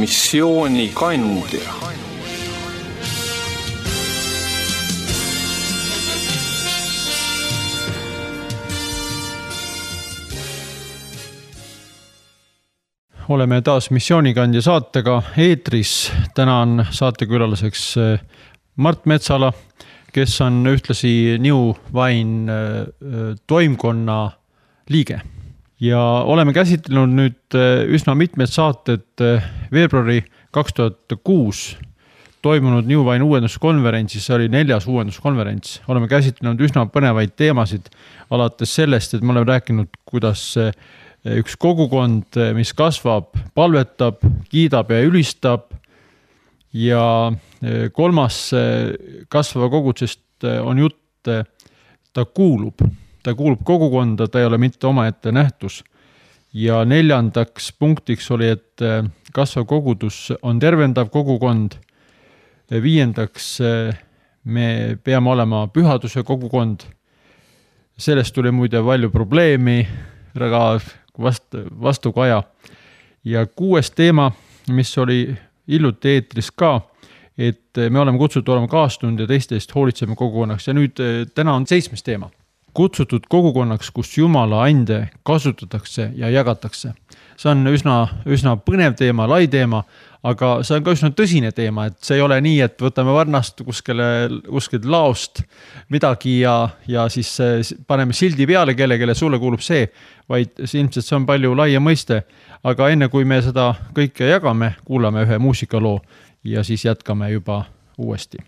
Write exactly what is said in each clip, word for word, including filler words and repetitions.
missioonikandja. Oleme taas missioonikandja saatega eetris. Täna on saatekülaliseks Mart Metsala, kes on ühtlasi New Wine toimkonna liige. Ja oleme käsitlenud nüüd üsna mitmed saated veebruari kaks tuhat kuus toimunud New Wine uuenduskonverentsis. See oli neljas uuenduskonverents. Oleme käsitlenud üsna põnevaid teemasid alates sellest, et me oleme rääkinud, kuidas üks kogukond, mis kasvab, palvetab, kiidab ja ülistab. Ja kolmas kasvava kogudusest on jutt, ta kuulub. Ta kuulub kogukonda, ta ei ole mitte omaette nähtus. Ja neljandaks punktiks oli, et kasvav kogudus on tervendav kogukond. Viiendaks me peame olema pühaduse kogukond. Sellest tuli muide palju probleemi, väga Vast, vastukaja. Ja kuues teema, mis oli hiljuti eetris ka, et me oleme kutsutud olema kaastund ja teistest hoolitseme kogukonnaks. Ja nüüd täna on seitsmes teema. Kutsutud kogukonnaks, kus Jumala ande kasutatakse ja jagatakse. See on üsna, üsna põnev teema, lai teema, aga see on ka üsna tõsine teema, et see ei ole nii, et võtame varnast kuskile, kuskil laost midagi ja, ja siis paneme sildi peale kelle, kelle sulle kuulub see, vaid ilmselt see on palju laia mõiste. Aga enne kui me seda kõike jagame, kuulame ühe muusikaloo ja siis jätkame juba uuesti.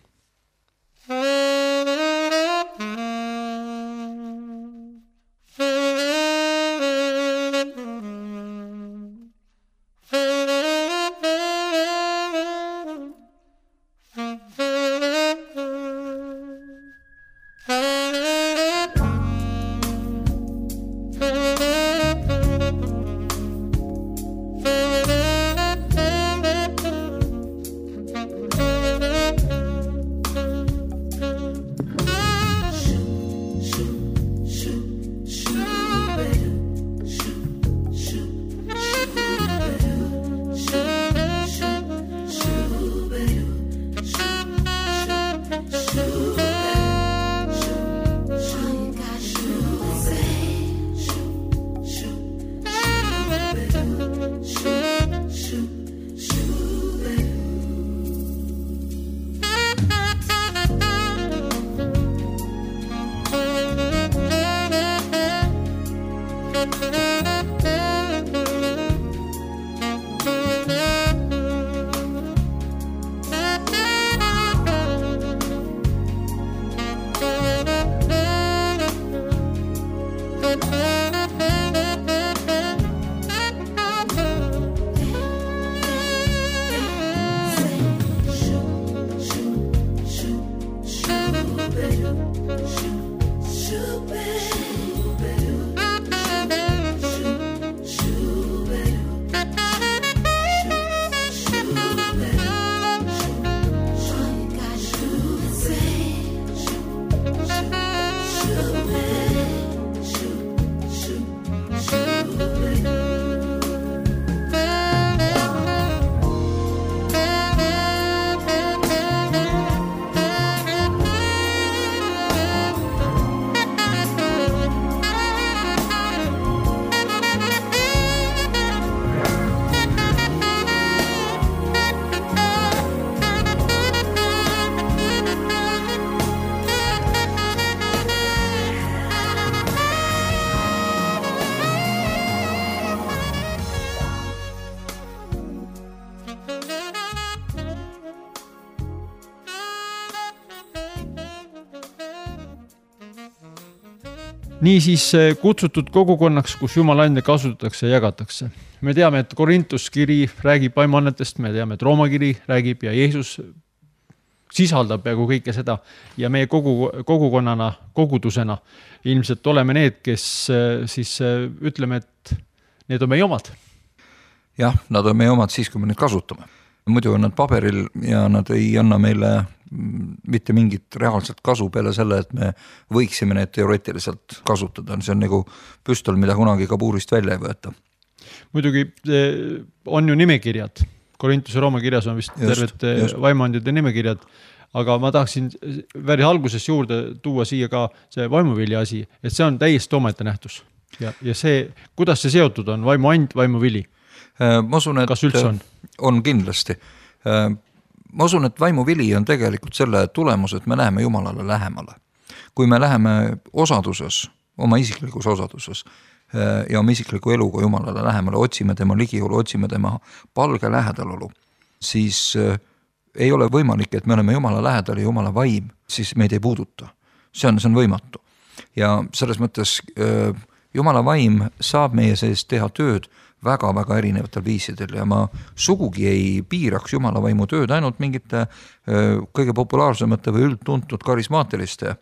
Niisiis kutsutud kogukonnaks, kus Jumala ande kasutatakse ja jagatakse. Me teame, et Korintus kiri räägib vaimannetest, me teame, et Rooma kiri räägib ja Jeesus sisaldab peaaegu kõike seda. Ja meie kogu, kogukonnana, kogudusena ilmselt oleme need, kes siis ütleme, et need on meie omad. Jah, nad on meie omad siis, kui me neid kasutame. Muidu on nad paberil ja nad ei anna meile mitte mingit reaalset kasu peale selle, et me võiksime need teoreetiliselt kasutada. See on nagu püstol, mida kunagi kabuurist välja ei võeta. Muidugi on ju nimekirjad Korintuse Rooma kirjas on vist just, terved vaimuandide nimekirjad, aga ma tahaksin väri alguses juurde tuua siia ka see vaimuvilja asi, et see on täiesti omaette nähtus. Ja, ja see, kuidas see seotud on, vaimuand, vaimuvili? Ma usun, et kas üldse on? On kindlasti. Ma usun, et vaimuvili on tegelikult selle tulemus, et me läheme Jumalale lähemale. Kui me läheme osaduses, oma isiklikus osaduses ja oma isikliku eluga Jumalale lähemale, otsime tema ligiolu, otsime tema palge lähedalolu, siis ei ole võimalik, et me oleme Jumala lähedal ja Jumala vaim, siis meid ei puuduta. See on, see on võimatu. Ja selles mõttes Jumala vaim saab meie sees teha tööd väga-väga erinevatel viisidel ja ma sugugi ei piiraks Jumala vaimu tööd ainult mingite kõige populaarsemate või üldtuntud karismaatiliste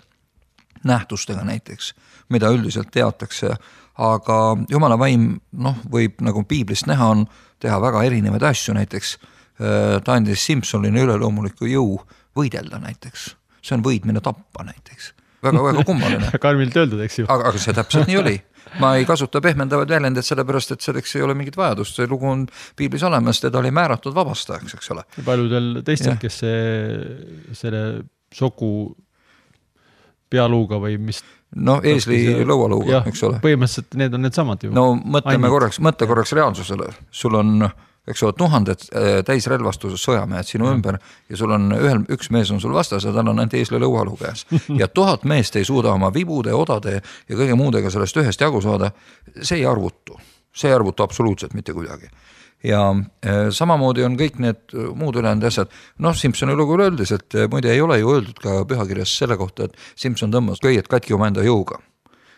nähtustega näiteks, mida üldiselt teatakse, aga Jumala vaim, noh, võib nagu piiblist näha on teha väga erinevaid asju, näiteks ta andis Simpsonile üleloomuliku jõu võidelda näiteks, see on võidmine tappa näiteks, väga-väga kummaline. Karmilt öeldud, eks ju. Aga, aga see täpselt nii oli. Ma ei kasuta pehmendavaid väljendid sellepärast, et selleks ei ole mingit vajadust, see lugu on piiblis olemas, teda oli määratud vabastajaks, eks ole. Paljudel teistel, kes see, selle soku pealuuga või mis... No eesli see... lõualuuga, eks ole. Põhimõtteliselt need on need samad ju. No mõtleme Ainult. korraks, mõtle korraks reaalsusele. Sul on, eks ole, tuhanded täisrelvastuses sõjamehed sinu ja. ümber ja sul on ühel, üks mees on sul vastas ja tal on ainult eesli lõualuu käes. Ja tuhat meest ei suuda oma vibude, odade ja kõige muudega sellest ühest jagu saada. See ei arvutu. See ei arvutu absoluutselt mitte kuidagi. Ja samamoodi on kõik need muud ülejäänud asjad. Noh, Simpsoni lugu öeldis, et muide ei ole ju öeldud ka pühakirjas selle kohta, et Simpson tõmbas köied katki oma enda jõuga.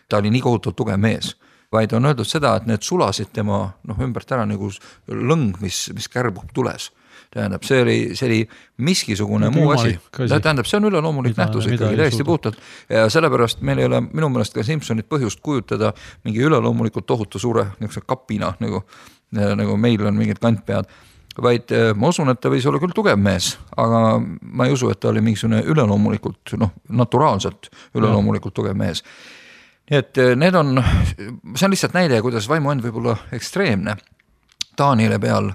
Ta oli nii kohutult tugev mees, vaid on öeldud seda, et need sulasid tema noh, ümbert ära nagu lõng, mis, mis kärbub tules. Tähendab, see oli, see oli miskisugune muu asi. Tähendab, see on üleloomulik nähtus ikkagi täiesti puhtalt. Ja sellepärast meil ei ole minu meelest ka Simpsonit põhjust kujutada mingi üleloomulikult tohutu suure kapina, nagu nagu meil on mingid kantpead, vaid ma usun, et ta võis olla küll tugev mees, aga ma ei usu, et ta oli mingisugune üleloomulikult, noh, naturaalselt üleloomulikult tugev mees. Nii et need on, see on lihtsalt näide, kuidas vaimuand võib olla ekstreemne. Taaniele peal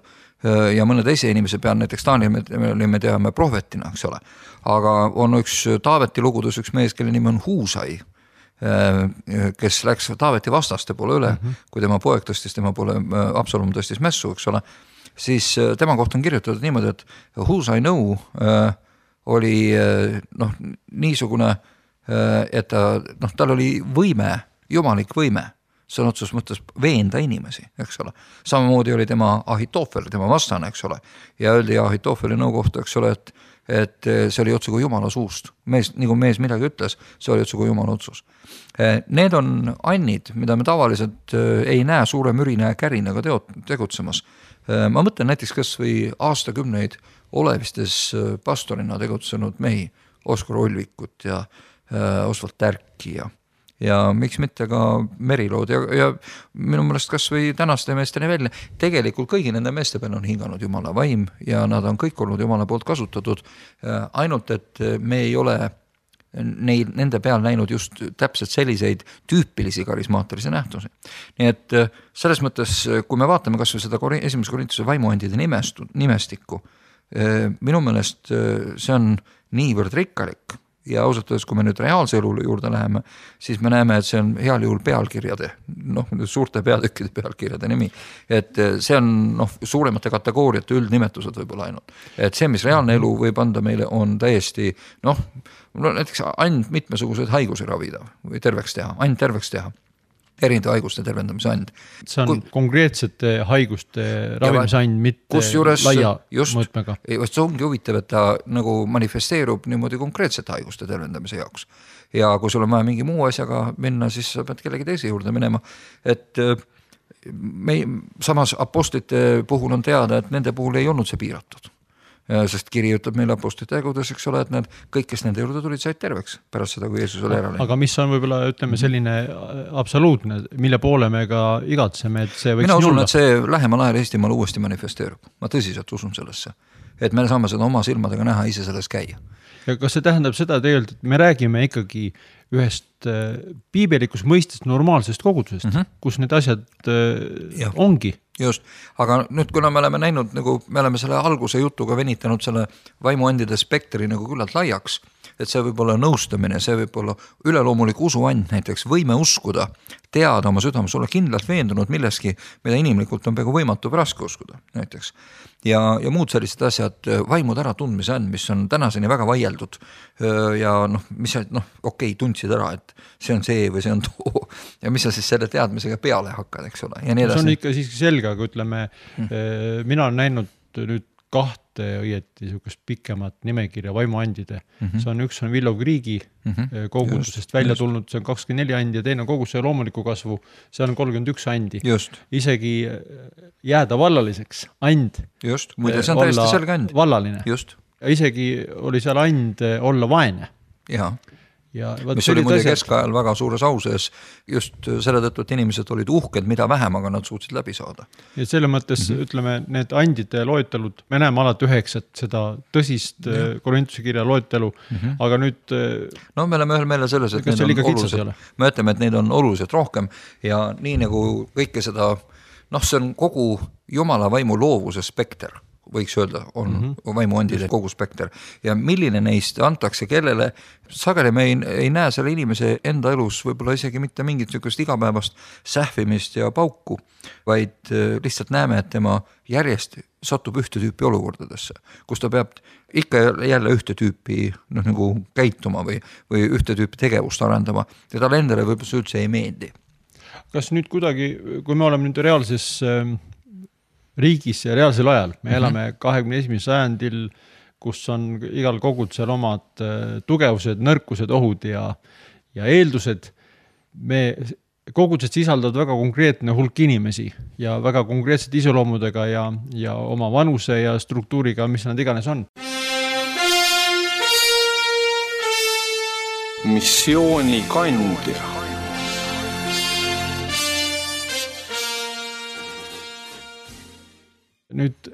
ja mõne teise inimese peal, näiteks Taaniel me, me teame prohvetina, eks ole, aga on üks Taaveti lugudes üks mees, kelle nimi on Huusai, kes läks Taaveti vastaste poole üle, mm-hmm. kui tema poeg tõstis tema poole, Absalom tõstis mässu, eks ole, siis tema kohta on kirjutatud niimoodi, et Huusai nõu äh, oli äh, noh, niisugune, äh, et ta, noh, tal oli võime, jumalik võime, see on otsus mõttes veenda inimesi, eks ole. Samamoodi oli tema Ahitofel, tema vastane, eks ole, ja öeldi Ahitofeli nõu kohta, eks ole, et et see oli otsugu Jumala suust. Mees, nagu mees midagi ütles, see oli otsugu Jumala otsus. Need on annid, mida me tavaliselt ei näe suure mürina ja kärinaga tegutsemas. Ma mõtlen näiteks kas või aastakümneid olevistes pastorina tegutsenud mehi, Oskar Olvikut ja Osvald Tärki ja ja miks mitte ka Merilood ja, ja minu meelest kas või tänaste meesteni välja. Tegelikult kõigi nende meeste peal on hinganud Jumala vaim ja nad on kõik olnud Jumala poolt kasutatud, ainult et me ei ole neil, nende peal näinud just täpselt selliseid tüüpilisi karismaatilisi nähtusi. Nii et selles mõttes, kui me vaatame kas või seda esimese Korintuse vaimuandide nimestu, nimestikku, minu meelest see on niivõrd rikkalik, ja ausalt öeldes, kui me nüüd reaalse elu juurde läheme, siis me näeme, et see on heal juhul pealkirjade, noh, suurte peatükkide pealkirjade nimi. Et see on noh, suuremate kategooriate üldnimetused võib-olla ainult. Et see, mis reaalne elu võib anda meile, on täiesti, noh, näiteks ainult mitmesuguseid haigusi ravida või terveks teha, ainult terveks teha. Erinevate haiguste tervendamise and. See on kui, konkreetsete haiguste ravimise and, mitte juures, laia just, mõõtmega. See ongi huvitav, et ta nagu manifesteerub niimoodi konkreetsete haiguste tervendamise jaoks. Ja kui sul on vaja mingi muu asjaga minna, siis sa pead kellegi teise juurde minema. Et me, samas apostlite puhul on teada, et nende puhul ei olnud see piiratud. Sest kiri ütleb meile apostlite tegudes, eks ole, et need, kõik, kes nende juurde tulid, said terveks pärast seda, kui Jeesus oli ära läinud. Aga mis on võib-olla, ütleme, selline absoluutne, mille poole me ka igatseme, et see võiks Mina usun, olla? Et see lähemal ajal Eestimaal uuesti manifesteerub. Ma tõsiselt usun sellesse. et me saame seda oma silmadega näha, ise selles käia. Ja kas see tähendab seda tegelikult, et me räägime ikkagi ühest piibelikus mõistest normaalsest kogudusest, mm -hmm. kus need asjad ja. ongi? Just, aga nüüd kuna me oleme näinud, nagu me oleme selle alguse jutuga venitanud selle vaimuandide spektri nagu küllalt laiaks, et see võib olla nõustamine, see võib olla üleloomulik usuand, näiteks võime uskuda, teada oma südames, olla kindlalt veendunud milleski, mida inimlikult on peaaegu võimatu või raske uskuda, näiteks. Ja, ja muud sellised asjad, vaimud ära tundmise and, mis on tänaseni väga vaieldud ja noh, mis noh, okei, tundsid ära, et see on see või see on too ja mis sa siis selle teadmisega peale hakkad, eks ole. Ja nii edasi. See on ikka siiski selge, aga ütleme, hmm. mina olen näinud nüüd kahte õieti niisugust pikemat nimekirja vaimuandide. Mm-hmm. See on üks on Willow Creeki mm-hmm. kogudusest just, välja just. tulnud, see on kakskümmend neli andi ja teine koguduse loomuliku kasvu, see on kolmkümmend üks andi. Just. Isegi jääda vallaliseks and. Just, muide see on täiesti selge and. Vallaline. Just. Ja isegi oli seal and olla vaene. Jaa. Ja, mis oli muide keskajal väga suures auses just selle tõttu, et inimesed olid uhked, mida vähem, aga nad suutsid läbi saada. Ja selle mõttes, mm-hmm. ütleme, need andide loetelud, me näeme alati üheksat seda tõsist ja. Korintuse kirja loetelu, mm-hmm. aga nüüd... No me oleme ühel meele selles, et need on olulised, me ütleme, et neid on oluliselt rohkem ja nii nagu kõike seda, noh, see on kogu Jumala vaimu loovuse spekter. Võiks öelda, on mm-hmm. vaimuandide kogu spekter. Ja milline neist antakse kellele, sageli me ei, ei näe selle inimese enda elus võib-olla isegi mitte mingit niisugust igapäevast sähvimist ja pauku, vaid lihtsalt näeme, et tema järjest satub ühte tüüpi olukordadesse, kus ta peab ikka jälle ühte tüüpi noh, nagu käituma või, või ühte tüüpi tegevust arendama ja talle endale võib-olla see üldse ei meeldi. Kas nüüd kuidagi, kui me oleme nüüd reaalses riigis ja reaalsel ajal. Me elame kahekümne esimesel sajandil, kus on igal kogudusel omad tugevused, nõrkused, ohud ja, ja eeldused. Me kogudused sisaldavad väga konkreetne hulk inimesi ja väga konkreetsed iseloomudega ja, ja oma vanuse ja struktuuriga, mis nad iganes on. Missiooni kandja. Nüüd,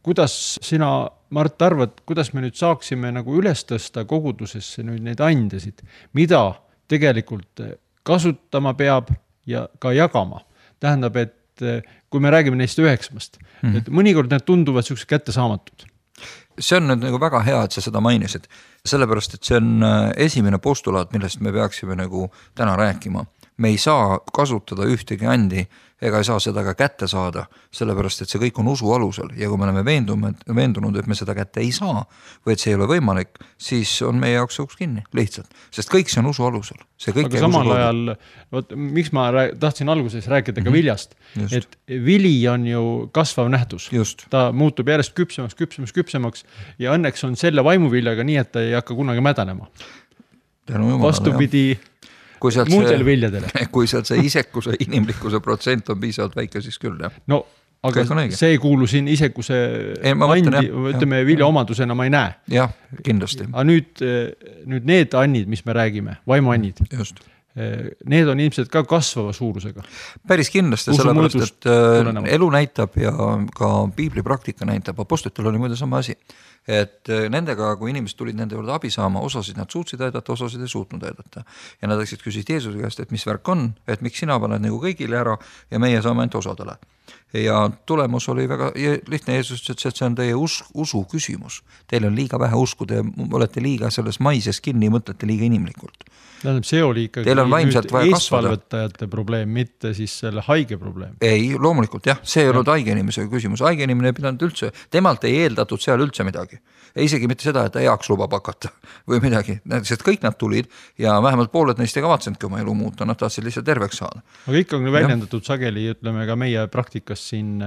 kuidas sina, Mart, arvad, kuidas me nüüd saaksime nagu üles tõsta kogudusesse nüüd neid andesid, mida tegelikult kasutama peab ja ka jagama. Tähendab, et kui me räägime neist üheksmast, mm-hmm. et mõnikord need tunduvad sellised kättesaamatud. See on nüüd nagu väga hea, et sa seda mainisid, sellepärast, et see on esimene postulaat, millest me peaksime nagu täna rääkima. Me ei saa kasutada ühtegi andi ega ei saa seda ka kätte saada, sellepärast, et see kõik on usu alusel ja kui me oleme veendunud, veendunud, et me seda kätte ei saa või et see ei ole võimalik, siis on meie jaoks uks kinni, lihtsalt. Sest kõik see on usu alusel. See kõik aga samal ajal, võt, miks ma rää, tahtsin alguses rääkida ka mm-hmm. viljast, just. Et vili on ju kasvav nähtus. Just. Ta muutub järjest küpsemaks, küpsemaks, küpsemaks ja õnneks on selle vaimuviljaga nii, et ta ei hakka kunagi mädanema. Vastupidi kui sealt muudele viljadele. Kui sealt see isekuse, inimlikkuse protsent on piisavalt väike, siis küll, jah. No, aga see ei kuulu siin isekuse ei, andi, mõtlen, ütleme, vilja omadusena ma ei näe. Jah, kindlasti. Aga nüüd, nüüd need annid, mis me räägime, vaimuannid, just. Need on ilmselt ka kasvava suurusega. Päris kindlasti, sellepärast, et tulenevalt. Elu näitab ja ka piibli praktika näitab, apostlitel oli muide sama asi, et nendega, kui inimesed tulid nende juurde abi saama, osasid nad suutsid aidata, osasid ei suutnud aidata. Ja nad läksid küsisid Jeesuse käest, et mis värk on, et miks sina paned nagu kõigile ära ja meie saame ainult osadele. Ja tulemus oli väga lihtne, Jeesus ütles, et see on teie us, usu küsimus. Teil on liiga vähe usku, te olete liiga selles maises kinni, mõtlete liiga inimlikult. Tähendab, see oli ikkagi nüüd eesvalvetajate probleem, mitte siis selle haige probleem. Ei, loomulikult jah, see ei olnud haige inimese küsimus. Haige inimene ei pidanud üldse, temalt ei eeldatud seal üldse midagi. Isegi mitte seda, et ta heaks lubab hakata või midagi. Sest kõik nad tulid ja vähemalt pooled neist ei kavatsenudki oma elu muuta, nad tahtsid lihtsalt terveks saada. Aga ikka on väljendatud sageli, ütleme ka meie praktikas siin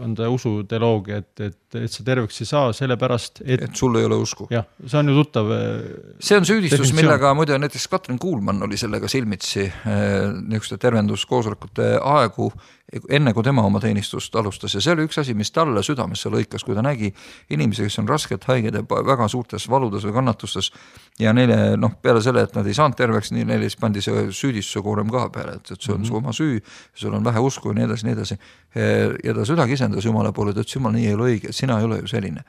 on ta usuteoloogia, et, et, et see terveks ei saa, sellepärast, et... Et sul ei ole usku. Jah, see on ju tuttav see on süüdistus, definitsioon. Millega muide näiteks Katrin Kuulmann oli sellega silmitsi niisuguste tervenduskoosolekute aegu, enne kui tema oma teenistust alustas ja see oli üks asi, mis talle südamesse lõikas, kui ta nägi inimesi, kes on raskelt haiged ja väga suurtes valudes või kannatustes ja neile, noh, peale selle, et nad ei saanud terveks, nii neile pandi see süüdistuse koorem ka peale, et, et see on mm-hmm. su oma süü, sul on vähe usku ja nii edasi, nii edasi. Ja ta südagi isendas Jumala poole, et Jumal nii ei ole õige, sina ei ole ju selline.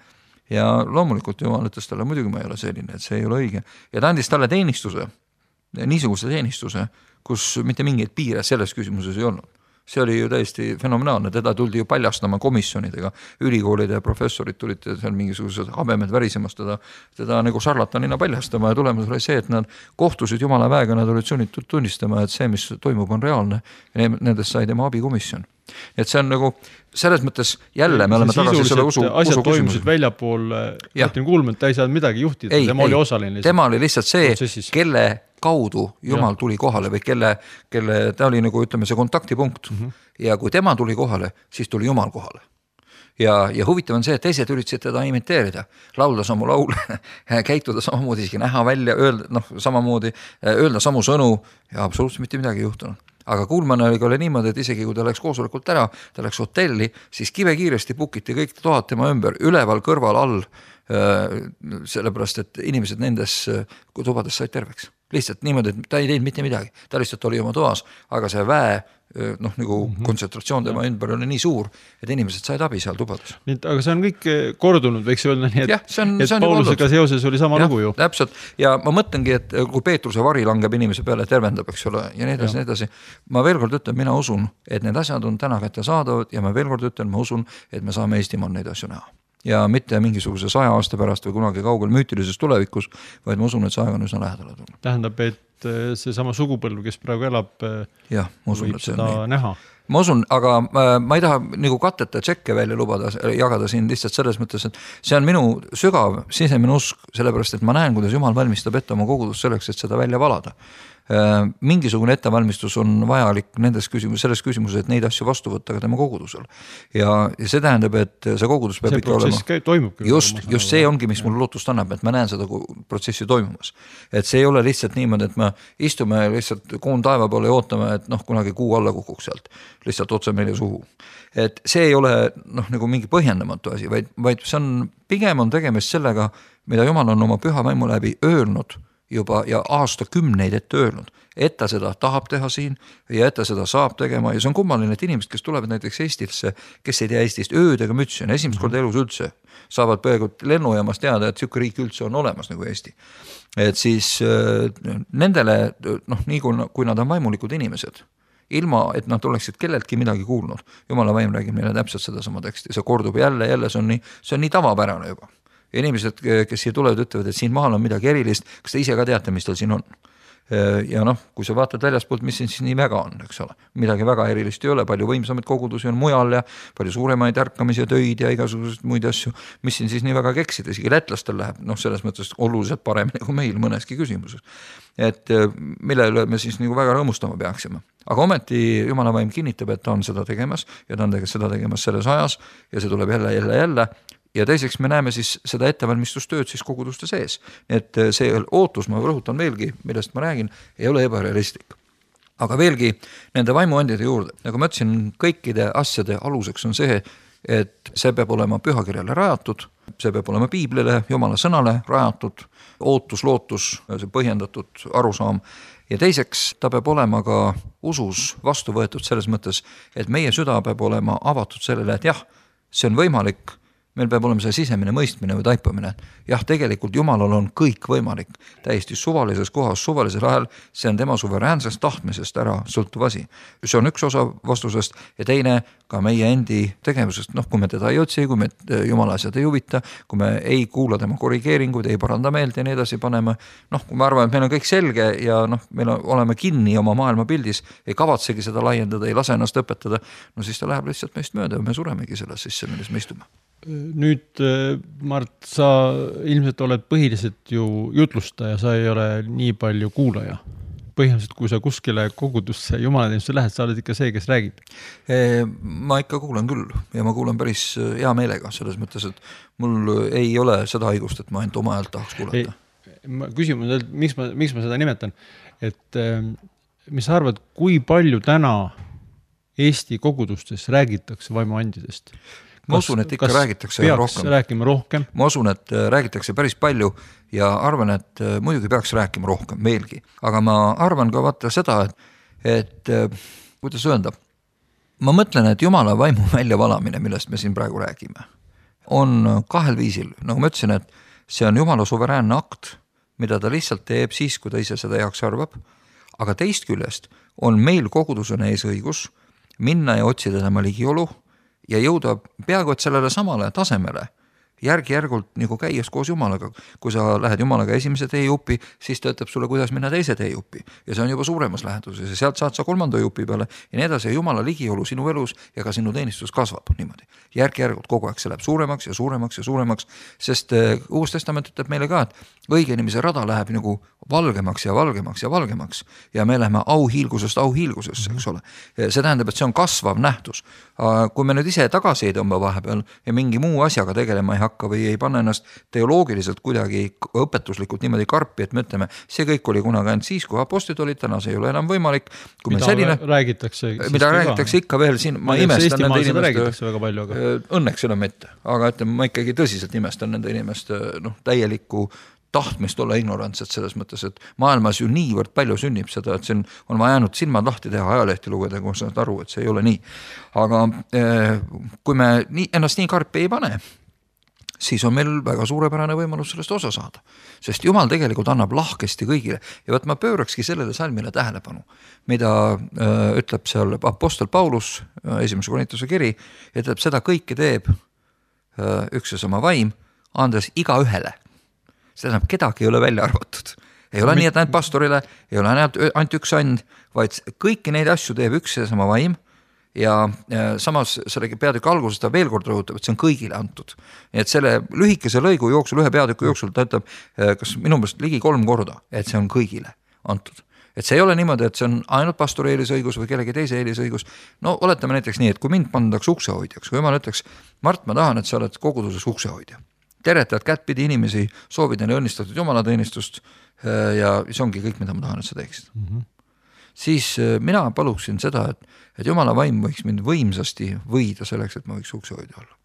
ja loomulikult Jumal ütles talle, muidugi ma ei ole selline, et see ei ole õige. Ja ta andis talle teenistuse, niisuguse teenistuse, kus mitte mingeid piire selles küsimuses ei olnud. See oli ju täiesti fenomenaalne, teda tuldi ju paljastama komisjonidega, ülikoolide ja professorid tulid seal mingisugused habemed värisemast teda, teda nagu šarlatanina paljastama ja tulemus oli see, et nad kohtusid Jumala väega, nad olid sunnitud tunnistama, et see, mis toimub, on reaalne ja nendest sai tema abikomisjon. Et see on nagu selles mõttes jälle me oleme tagasi selle usu, asjad usu toimusid väljapool, Martin Kuulmann, ta ei saanud midagi juhtida, ei, tema ei, oli osaline. Tema oli lihtsalt see, protsessis. Kelle kaudu Jumal tuli kohale või kelle, kelle ta oli nagu ütleme see kontaktipunkt mm-hmm. ja kui tema tuli kohale, siis tuli Jumal kohale. Ja, ja huvitav on see, et teised üritasid teda imiteerida, laulda samu laule, käituda samamoodi, isegi näha välja, öelda, noh, samamoodi, öelda samu sõnu ja absoluutselt mitte midagi juhtunud. Aga Kuulmann oli ka niimoodi, et isegi kui ta läks koosolekult ära, ta läks hotelli, siis kive kiiresti pukiti kõik toad tema ümber, üleval, kõrval, all, sellepärast, et inimesed nendes tubades said terveks. Lihtsalt niimoodi, et ta ei teinud mitte midagi, ta lihtsalt oli oma toas, aga see väe noh, nagu mm-hmm. kontsentratsioon tema ümber oli nii suur, et inimesed said abi seal tubades. Nii, aga see on kõik kordunud, võiks öelda nii, et, ja, see on, et see on Paulusega seoses oli sama ja, lugu ju. Täpselt, ja ma mõtlengi, et kui Peetruse vari langeb inimese peale, tervendab, eks ole, ja nii edasi, nii edasi. Ma veel kord ütlen, mina usun, et need asjad on täna kätte saadavad ja ma veel kord ütlen, ma usun, et me saame Eestimaal neid asju näha. Ja mitte mingisuguse saja aasta pärast või kunagi kaugel müütilises tulevikus, vaid ma usun, et see aeg on üsna lähedale tulnud. Tähendab, et see sama sugupõlv, kes praegu elab, ja, ma usun, võib et see seda on näha. Ma usun, aga ma ei taha nagu katteta tšekke välja lubada, jagada siin lihtsalt selles mõttes, et see on minu sügav sisemine usk, sellepärast, et ma näen, kuidas Jumal valmistab ette oma kogudust selleks, et seda välja valada. Mingisugune ettevalmistus on vajalik nendes küsimus, selles küsimuses, et neid asju vastu võtta ka tema kogudusel. Ja, ja see tähendab, et see kogudus peab see ikka olema. Käib, toimub, just, just see ongi, mis mul lootust annab, et ma näen seda protsessi toimumas. Et see ei ole lihtsalt niimoodi, et me istume lihtsalt kuun taeva poole ja ootame, et noh, kunagi kuu alla kukuks sealt. Lihtsalt otse meile suhu. Et see ei ole noh, nagu mingi põhjendamatu asi, vaid, vaid see on, pigem on tegemist sellega, mida Jumal on oma püha vaimu läbi öelnud juba ja aasta kümneid ette öelnud, et ta seda tahab teha siin ja et ta seda saab tegema ja see on kummaline, et inimesed, kes tulevad näiteks Eestisse, kes ei tea Eestist öödega mütsi, on esimest korda elus üldse, saavad peaaegu lennujaamast teada, et siuke riik üldse on olemas nagu Eesti. Et siis nendele, noh, nii kui, kui nad on vaimulikud inimesed, ilma, et nad oleksid kelleltki midagi kuulnud, Jumala vaim räägib neile täpselt seda sama teksti, see kordub jälle, jälle, see on nii, see on nii tavapärane juba. Ja inimesed, kes siia tulevad, ütlevad, et siin maal on midagi erilist, kas te ise ka teate, mis tal siin on? Ja noh, kui sa vaatad väljaspoolt, mis siin siis nii väga on, eks ole, midagi väga erilist ei ole, palju võimsamaid kogudusi on mujal ja palju suuremaid ärkamise töid ja igasuguseid muid asju, mis siin siis nii väga keksida, isegi lätlastel läheb, noh, selles mõttes oluliselt paremini kui meil mõneski küsimuses. Et mille üle me siis nagu väga rõõmustama peaksime. Aga ometi Jumala vaim kinnitab, et ta on seda tegemas ja ta on seda tegemas selles ajas ja see tuleb jälle, jälle, jälle. Ja teiseks me näeme siis seda ettevalmistustööd siis koguduste sees. Et see ootus, ma rõhutan veelgi, millest ma räägin, ei ole ebarealistlik. Aga veelgi nende vaimuandide juurde, nagu ma ütlesin, kõikide asjade aluseks on see, et see peab olema pühakirjale rajatud, see peab olema piiblile, Jumala sõnale rajatud, ootus, lootus, see põhjendatud arusaam. Ja teiseks ta peab olema ka usus vastu võetud selles mõttes, et meie süda peab olema avatud sellele, et jah, see on võimalik, meil peab olema see sisemine mõistmine või taipamine. Jah, tegelikult Jumalal on kõik võimalik. Täiesti suvalises kohas, suvalisel ajal, see on tema suveräänsest tahtmisest ära sõltuv asi. See on üks osa vastusest ja teine ka meie endi tegevusest. Noh, kui me teda ei otsi, kui me Jumala asjad ei huvita, kui me ei kuula tema korrigeeringuid, ei paranda meelt ja nii edasi paneme. Noh, kui ma arvan, et meil on kõik selge ja noh, meil oleme kinni oma maailma pildis, ei kavatsegi seda laiendada, ei lase ennast õpetada, no siis ta läheb lihtsalt meist mööda ja me suremegi selles sisse, milles me istume. Nüüd, Mart, sa ilmselt oled põhiliselt ju jutlustaja, sa ei ole nii palju kuulaja. Põhimõtteliselt, kui sa kuskile kogudusse jumalateenusse lähed, sa oled ikka see, kes räägib. Ma ikka kuulan küll ja ma kuulan päris hea meelega selles mõttes, et mul ei ole seda haigust, et ma ainult oma häält tahaks kuulata. Ma küsimus, miks ma, miks ma seda nimetan, et mis sa arvad, kui palju täna Eesti kogudustes räägitakse vaimuandidest? Ma usun, et ikka räägitakse rohkem. Rääkima rohkem. Ma usun, et räägitakse päris palju ja arvan, et muidugi peaks rääkima rohkem meelgi. Aga ma arvan ka vaata seda, et, et kuidas öelda, ma mõtlen, et Jumala vaimu väljavalamine, millest me siin praegu räägime, on kahel viisil, nagu ma ütlesin, et see on Jumala suveräänne akt, mida ta lihtsalt teeb siis, kui ta ise seda heaks arvab, aga teist küljest on meil kogudusena ees õigus minna ja otsida tema ligiolu ja jõuda peaaegu et sellele samale tasemele, järgi-järgult nagu käies koos Jumalaga. Kui sa lähed Jumalaga esimese teejupi, siis ta ütleb sulle, kuidas minna teise teejupi. Ja see on juba suuremas läheduses ja sealt saad sa kolmanda jupi peale ja nii edasi ja Jumala ligiolu sinu elus ja ka sinu teenistus kasvab niimoodi. Järgi-järgult kogu aeg see läheb suuremaks ja suuremaks ja suuremaks, sest Uus Testament ütleb meile ka, et õige inimese rada läheb nagu valgemaks ja valgemaks ja valgemaks ja me läheme auhiilgusest auhiilgusesse, eks ole. See tähendab, et see on kasvav nähtus. Kui me nüüd ise tagasi ei tõmba vahepeal ja mingi muu asjaga tegelema ei hakka või ei panna ennast teoloogiliselt kuidagi õpetuslikult niimoodi karpi, et me ütleme, see kõik oli kunagi ainult siis, kui apostid olid, täna see ei ole enam võimalik. Kui mida selline, räägitakse, mida räägitakse ikka veel siin, ma imestan nende inimeste, väga palju, aga... õnneks enam ette, aga ütleme, ma ikkagi tõsiselt imestan nende inimeste noh, täielikku tahtmist olla ignorantsed selles mõttes, et maailmas ju niivõrd palju sünnib seda, et see on, on vaja jäänud silmad lahti teha, ajalehti lugeda, kui saad aru, et see ei ole nii. Aga eh, kui me nii, ennast nii karpi ei pane, siis on meil väga suurepärane võimalus sellest osa saada. Sest Jumal tegelikult annab lahkesti kõigile. Ja võt ma pöörakski sellele salmile tähelepanu, mida äh, ütleb seal apostel Paulus, äh, esimese Korintuse kiri, ütleb, seda kõike teeb äh, üks ja sama vaim, andes iga ühele. See tähendab, kedagi ei ole välja arvatud. Ei ole nii, et ainult pastorile, ei ole ainult üks and, vaid kõiki neid asju teeb üks ja sama vaim ja samas selle peatüki alguses ta veel kord rõhutab, et see on kõigile antud. Nii et selle lühikese lõigu jooksul, ühe peatüki jooksul ta ütleb, kas minu meelest ligi kolm korda, et see on kõigile antud. Et see ei ole niimoodi, et see on ainult pastori eelisõigus või kellegi teise eelisõigus. No oletame näiteks nii, et kui mind pandaks uksehoidjaks, kui Jumal ütleks, Mart, ma tahan, et sa oled koguduses uksehoidja. Teretad kättpidi inimesi, soovid neile õnnistatud jumalateenistust ja see ongi kõik, mida ma tahan, et sa teeksid. Mm-hmm. Siis mina paluksin seda, et, et Jumala vaim võiks mind võimsasti võida selleks, et ma võiks uksehoidja olla.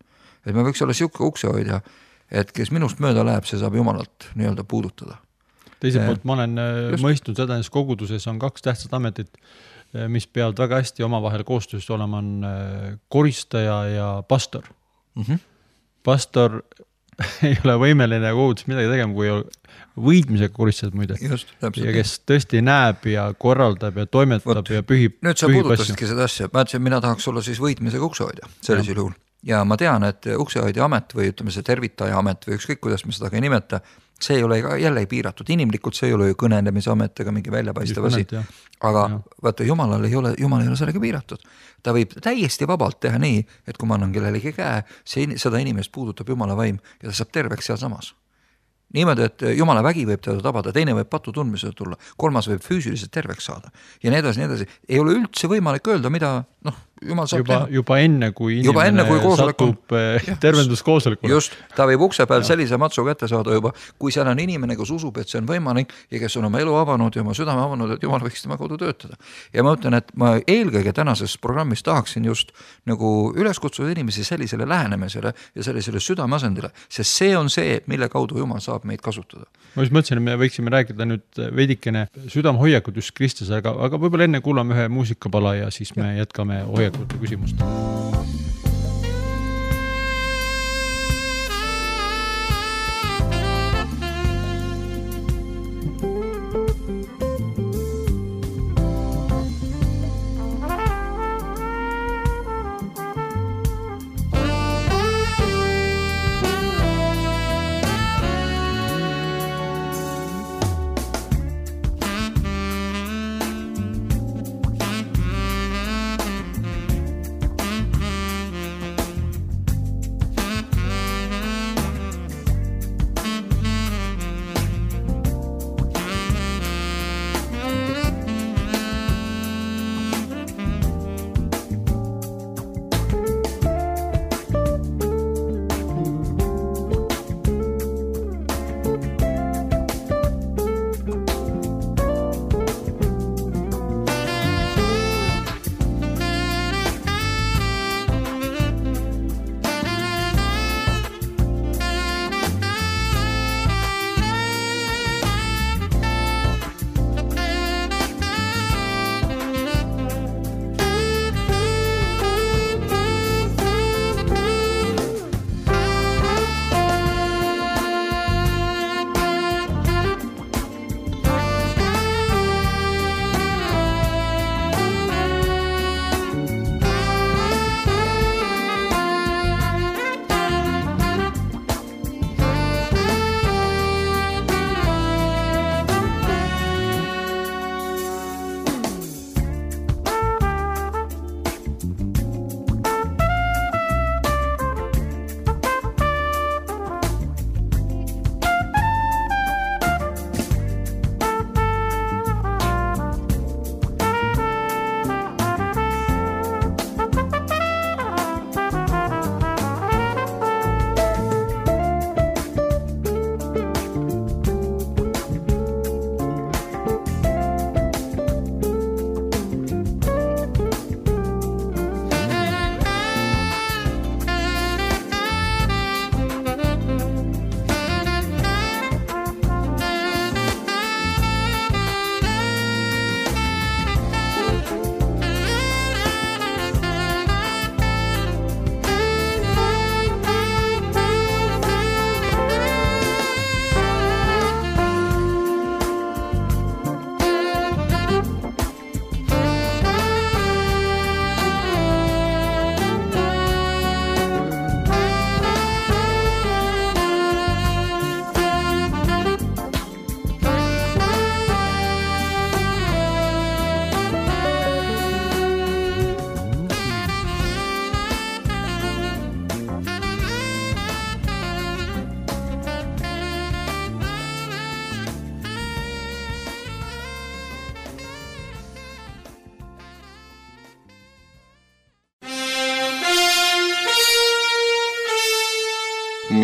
Et ma võiks olla siuke uksehoidja, et kes minust mööda läheb, see saab Jumalat nii-öelda puudutada. Teiselt poolt ma olen just mõistnud seda, et koguduses on kaks tähtsat ametit, mis peavad väga hästi omavahel koostöös olema, on koristaja ja pastor. Mm-hmm. Pastor ei ole võimeline kogudus midagi tegema, kui võidmisega koristad muide. Just, ja kes tõesti näeb ja korraldab ja toimetab Võt, ja pühib nüüd sa puudutasidki seda asja. Ma ütlesin, mina tahaks olla siis võidmisega uksehoidja sellisel juhul. Ja ma tean, et uksehoidja amet või ütleme see tervitaja amet või ükskõik, kuidas me seda ka ei nimeta, see ei ole jälle ei piiratud. Inimlikult see ei ole ju kõnelemise amet ega mingi väljapaistev asi. Aga ja. Vaata, Jumalal ei ole, Jumal ei ole sellega piiratud. Ta võib täiesti vabalt teha nii, et kui ma annan kellelegi käe, see, seda inimest puudutab Jumala vaim ja ta saab terveks seal samas. Niimoodi, et Jumala vägi võib teda tabada, teine võib patu tundmisele tulla, kolmas võib füüsiliselt terveks saada. Ja nii edasi, nii edasi. Ei ole üldse võimalik öelda, mida noh, Jumal saab juba, teha. Juba enne, kui juba inimene enne, kui satub tervenduskoosolekule. Just, ta võib ukse peal sellise matsu kätte saada juba, kui seal on inimene, kes usub, et see on võimalik ja kes on oma elu avanud ja oma südame avanud, et Jumal võiks tema kodu töötada. Ja ma ütlen, et ma eelkõige tänases programmis tahaksin just nagu üles kutsuda inimesi sellisele lähenemisele ja sellisele südameasendile, sest see on see, mille kaudu Jumal saab meid kasutada. Ma just mõtlesin, et me võiksime rääkida nüüd veidikene südamehoiakud just Kristuse, aga, aga võib-olla enne kuulame ühe muusikapala ja siis me jätkame hoiakute küsimust.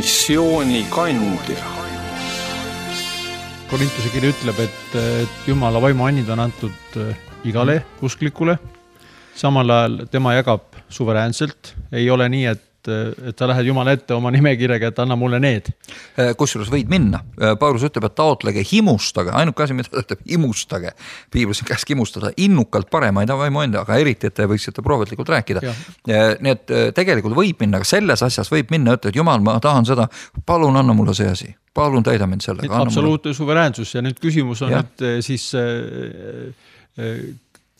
missioonikandja. Korintuse kiri ütleb, et, et Jumala vaimu annid on antud igale usklikule. Samal ajal tema jagab suveräänselt. Ei ole nii, et, et sa lähed Jumala ette oma nimekirjaga, et anna mulle need. Kusjuures võid minna. Paulus ütleb, et taotlege himustage. Ainuke asi, mida ta ütleb, himustage. Piiblis on käsk himustada innukalt paremaid vaimu enda, aga eriti, et te võiksite prohvetlikult rääkida. Nii et tegelikult võib minna, aga selles asjas võib minna, ütled, Jumal, ma tahan seda, palun anna mulle see asi. Palun täida mind sellega. Absoluutne mulle... suveräänsus ja nüüd küsimus on, ja. et siis äh, äh,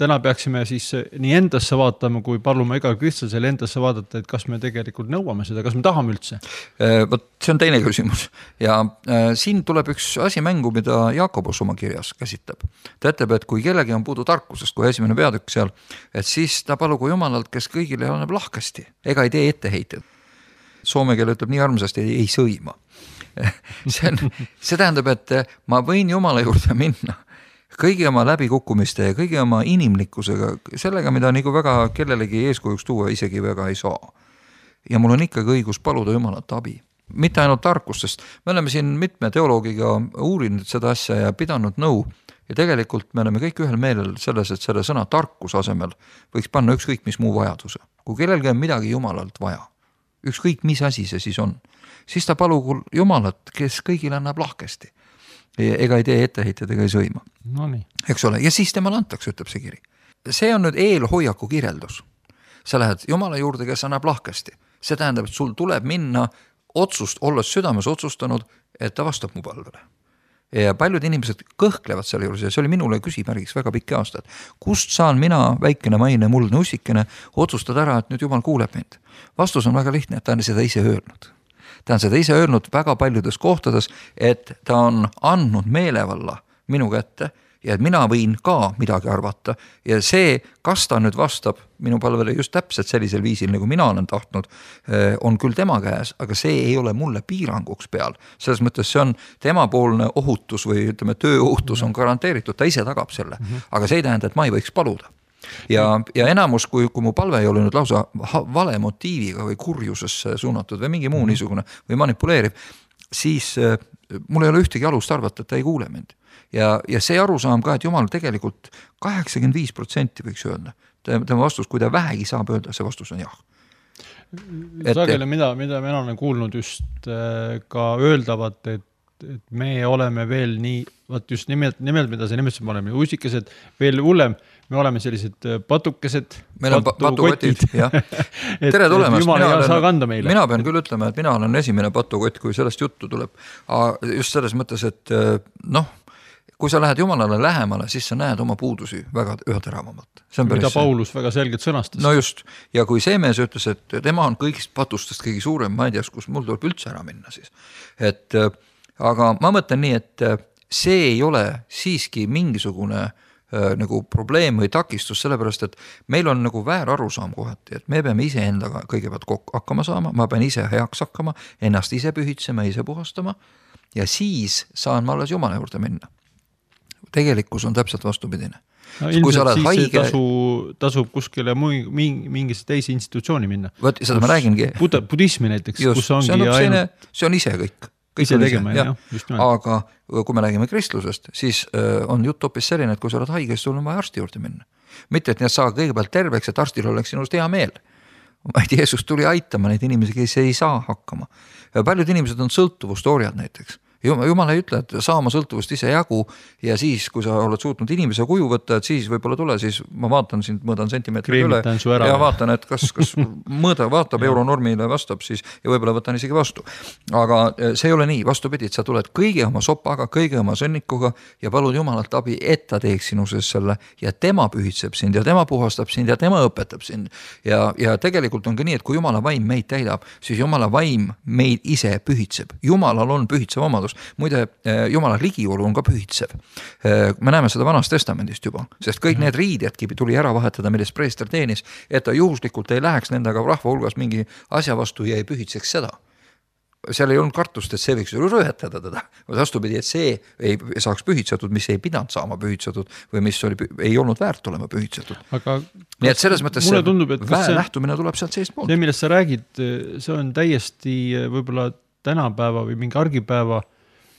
täna peaksime siis nii endasse vaatama, kui paluma igal kristlasel endasse vaadata, et kas me tegelikult nõuame seda, kas me tahame üldse? Võt, see on teine küsimus ja äh, siin tuleb üks asi mängu, mida Jaakobus oma kirjas käsitleb. Ta ütleb, et kui kellegi on puudu tarkusest, kui esimene peatükk seal, et siis ta palugu Jumalalt, kes kõigile annab lahkesti, ega ei tee etteheited. Soome keel ütleb nii armsasti, ei, ei sõima. See, on, see tähendab, et ma võin Jumala juurde minna kõigi oma läbikukkumiste ja kõigi oma inimlikkusega, sellega, mida nagu väga kellelegi eeskujuks tuua isegi väga ei saa. Ja mul on ikkagi õigus paluda Jumalat abi. Mitte ainult tarkust, sest me oleme siin mitme teoloogiga uurinud seda asja ja pidanud nõu ja tegelikult me oleme kõik ühel meelel selles, et selle sõna tarkus asemel võiks panna ükskõik mis muu vajaduse. Kui kellelgi on midagi Jumalalt vaja, ükskõik mis asi see siis on, siis ta palugu Jumalat, kes kõigile annab lahkesti. Ega ei tee etteheited ega ei sõima. No nii. Eks ole, ja siis temal antakse, ütleb see kiri. See on nüüd eelhoiaku kirjeldus. Sa lähed Jumala juurde, kes annab lahkesti. See tähendab, et sul tuleb minna otsust, olles südames otsustanud, et ta vastab mu palvele. Ja paljud inimesed kõhklevad selle juures ja see oli minule küsimärgiks väga pikki aastad. Kust saan mina, väikene maine, muldne ussikene, otsustada ära, et nüüd Jumal kuuleb mind? Vastus on väga lihtne, et ta on seda ise öelnud. Ta on seda ise öelnud väga paljudes kohtades, et ta on andnud meelevalla minu kätte ja et mina võin ka midagi arvata ja see, kas ta nüüd vastab minu palvele just täpselt sellisel viisil, nagu mina olen tahtnud, on küll tema käes, aga see ei ole mulle piiranguks peal. Selles mõttes see on temapoolne ohutus või ütleme, tööohutus on garanteeritud, ta ise tagab selle, aga see ei tähenda, et ma ei võiks paluda. Ja, ja enamus, kui, kui mu palve ei ole nüüd lausa vale motiiviga või kurjusesse suunatud või mingi muu niisugune või manipuleeriv, siis äh, mul ei ole ühtegi alust arvata, et ta ei kuule mind. Ja, ja see arusaam ka, et Jumal tegelikult kaheksakümmend viis protsenti võiks öelda. Tema vastus, kui ta vähegi saab öelda, see vastus on jah. Et, sageli, mida, mida me olen kuulnud just äh, ka öeldavat, et et me oleme veel nii, vaat just nimelt, nimelt mida sa nimetasid, me oleme usikesed, veel hullem, me oleme sellised patukesed, meil on patukotid, jah. Tere tulemast, mina, olen, mina pean küll ütlema, et mina olen esimene patukott, kui sellest juttu tuleb. Just selles mõttes, et noh, kui sa lähed Jumalale lähemale, siis sa näed oma puudusi väga üha teravamalt. Mida Paulus väga selgelt sõnastas. No just, ja kui see mees ütles, et tema on kõigist patustest kõigi suurem, ma ei tea, kus mul tuleb üldse ära minna siis. Et aga ma mõtlen nii, et see ei ole siiski mingisugune äh, nagu probleem või takistus, sellepärast, et meil on nagu väär arusaam kohati, et me peame ise endaga kõigepealt kokku hakkama saama, ma pean ise heaks hakkama, ennast ise pühitsema, ise puhastama ja siis saan ma alles Jumala juurde minna. Tegelikkus on täpselt vastupidine. No, ilmselt siis haige... tasu, tasub kuskile mingisse teisi institutsiooni minna. Võt, seda kus, ma räägingi. Budismi näiteks, just, kus ongi see on, ainult... see on ise kõik. Ise tegema, jah, just nimelt. Aga kui me räägime kristlusest, siis on jutt hoopis selline, et kui sa oled haige, siis sul on vaja arsti juurde minna. Mitte, et need saa kõigepealt terveks, et arstil oleks sinust hea meel. Vaid Jeesus tuli aitama neid inimesi, kes ei saa hakkama. Paljud inimesed on sõltuvustooriad näiteks. Jumal ei ütle, et saa oma sõltuvust ise jagu ja siis, kui sa oled suutnud inimese kuju võtta, et siis võib-olla tule, siis ma vaatan sind, mõõdan sentimeetrid üle ja vaatan, et kas, kas mõõda vaatab euronormile vastab siis ja võib-olla võtan isegi vastu. Aga see ei ole nii, vastupidi, et sa tuled kõige oma sopaga, kõige oma sõnnikuga ja palud Jumalalt abi, et ta teeks sinu sees selle ja tema pühitseb sind ja tema puhastab sind ja tema õpetab sind. Ja, ja tegelikult on ka nii, et kui Jumala vaim meid täidab, siis Jumala vaim meid ise pühitseb. Jumalal on pühitsev omadus. Muide, Jumala ligiolu on ka pühitsev. Me näeme seda Vanast Testamendist juba, sest kõik need riidjadki tuli ära vahetada, millest preester teenis, et ta juhuslikult ei läheks nendega rahva hulgas mingi asja vastu ja ei pühitseks seda. Seal ei olnud kartust, et see võiks rõhetada teda. Vastupidi, et see ei saaks pühitsetud, mis ei pidanud saama pühitsetud või mis oli, ei olnud väärt olema pühitsetud. Aga nii et selles mõttes tundub, väe lähtumine tuleb sealt seest poolt. See, millest sa räägid, see on täiesti võib-olla tänapäeva või mingi argipäeva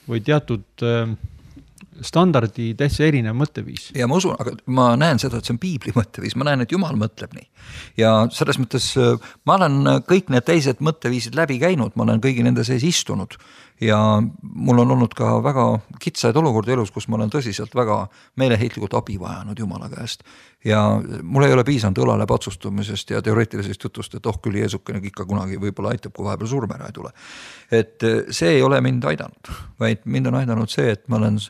või teatud standardi täitsa erinev mõtteviis. Ja ma usun, aga ma näen seda, et see on piibli mõtteviis, ma näen, et Jumal mõtleb nii. Ja selles mõttes ma olen kõik need teised mõtteviisid läbi käinud, ma olen kõigi nende sees istunud ja mul on olnud ka väga kitsaid olukordi elus, kus ma olen tõsiselt väga meeleheitlikult abi vajanud Jumala käest. Ja mul ei ole piisanud õlale patsustumisest ja teoreetilisest jutust, et oh küll Jeesukene ikka kunagi võib-olla aitab, kui vahepeal surm ära ei tule. Et see ei ole mind aidanud, vaid mind on aidanud see, et ma olen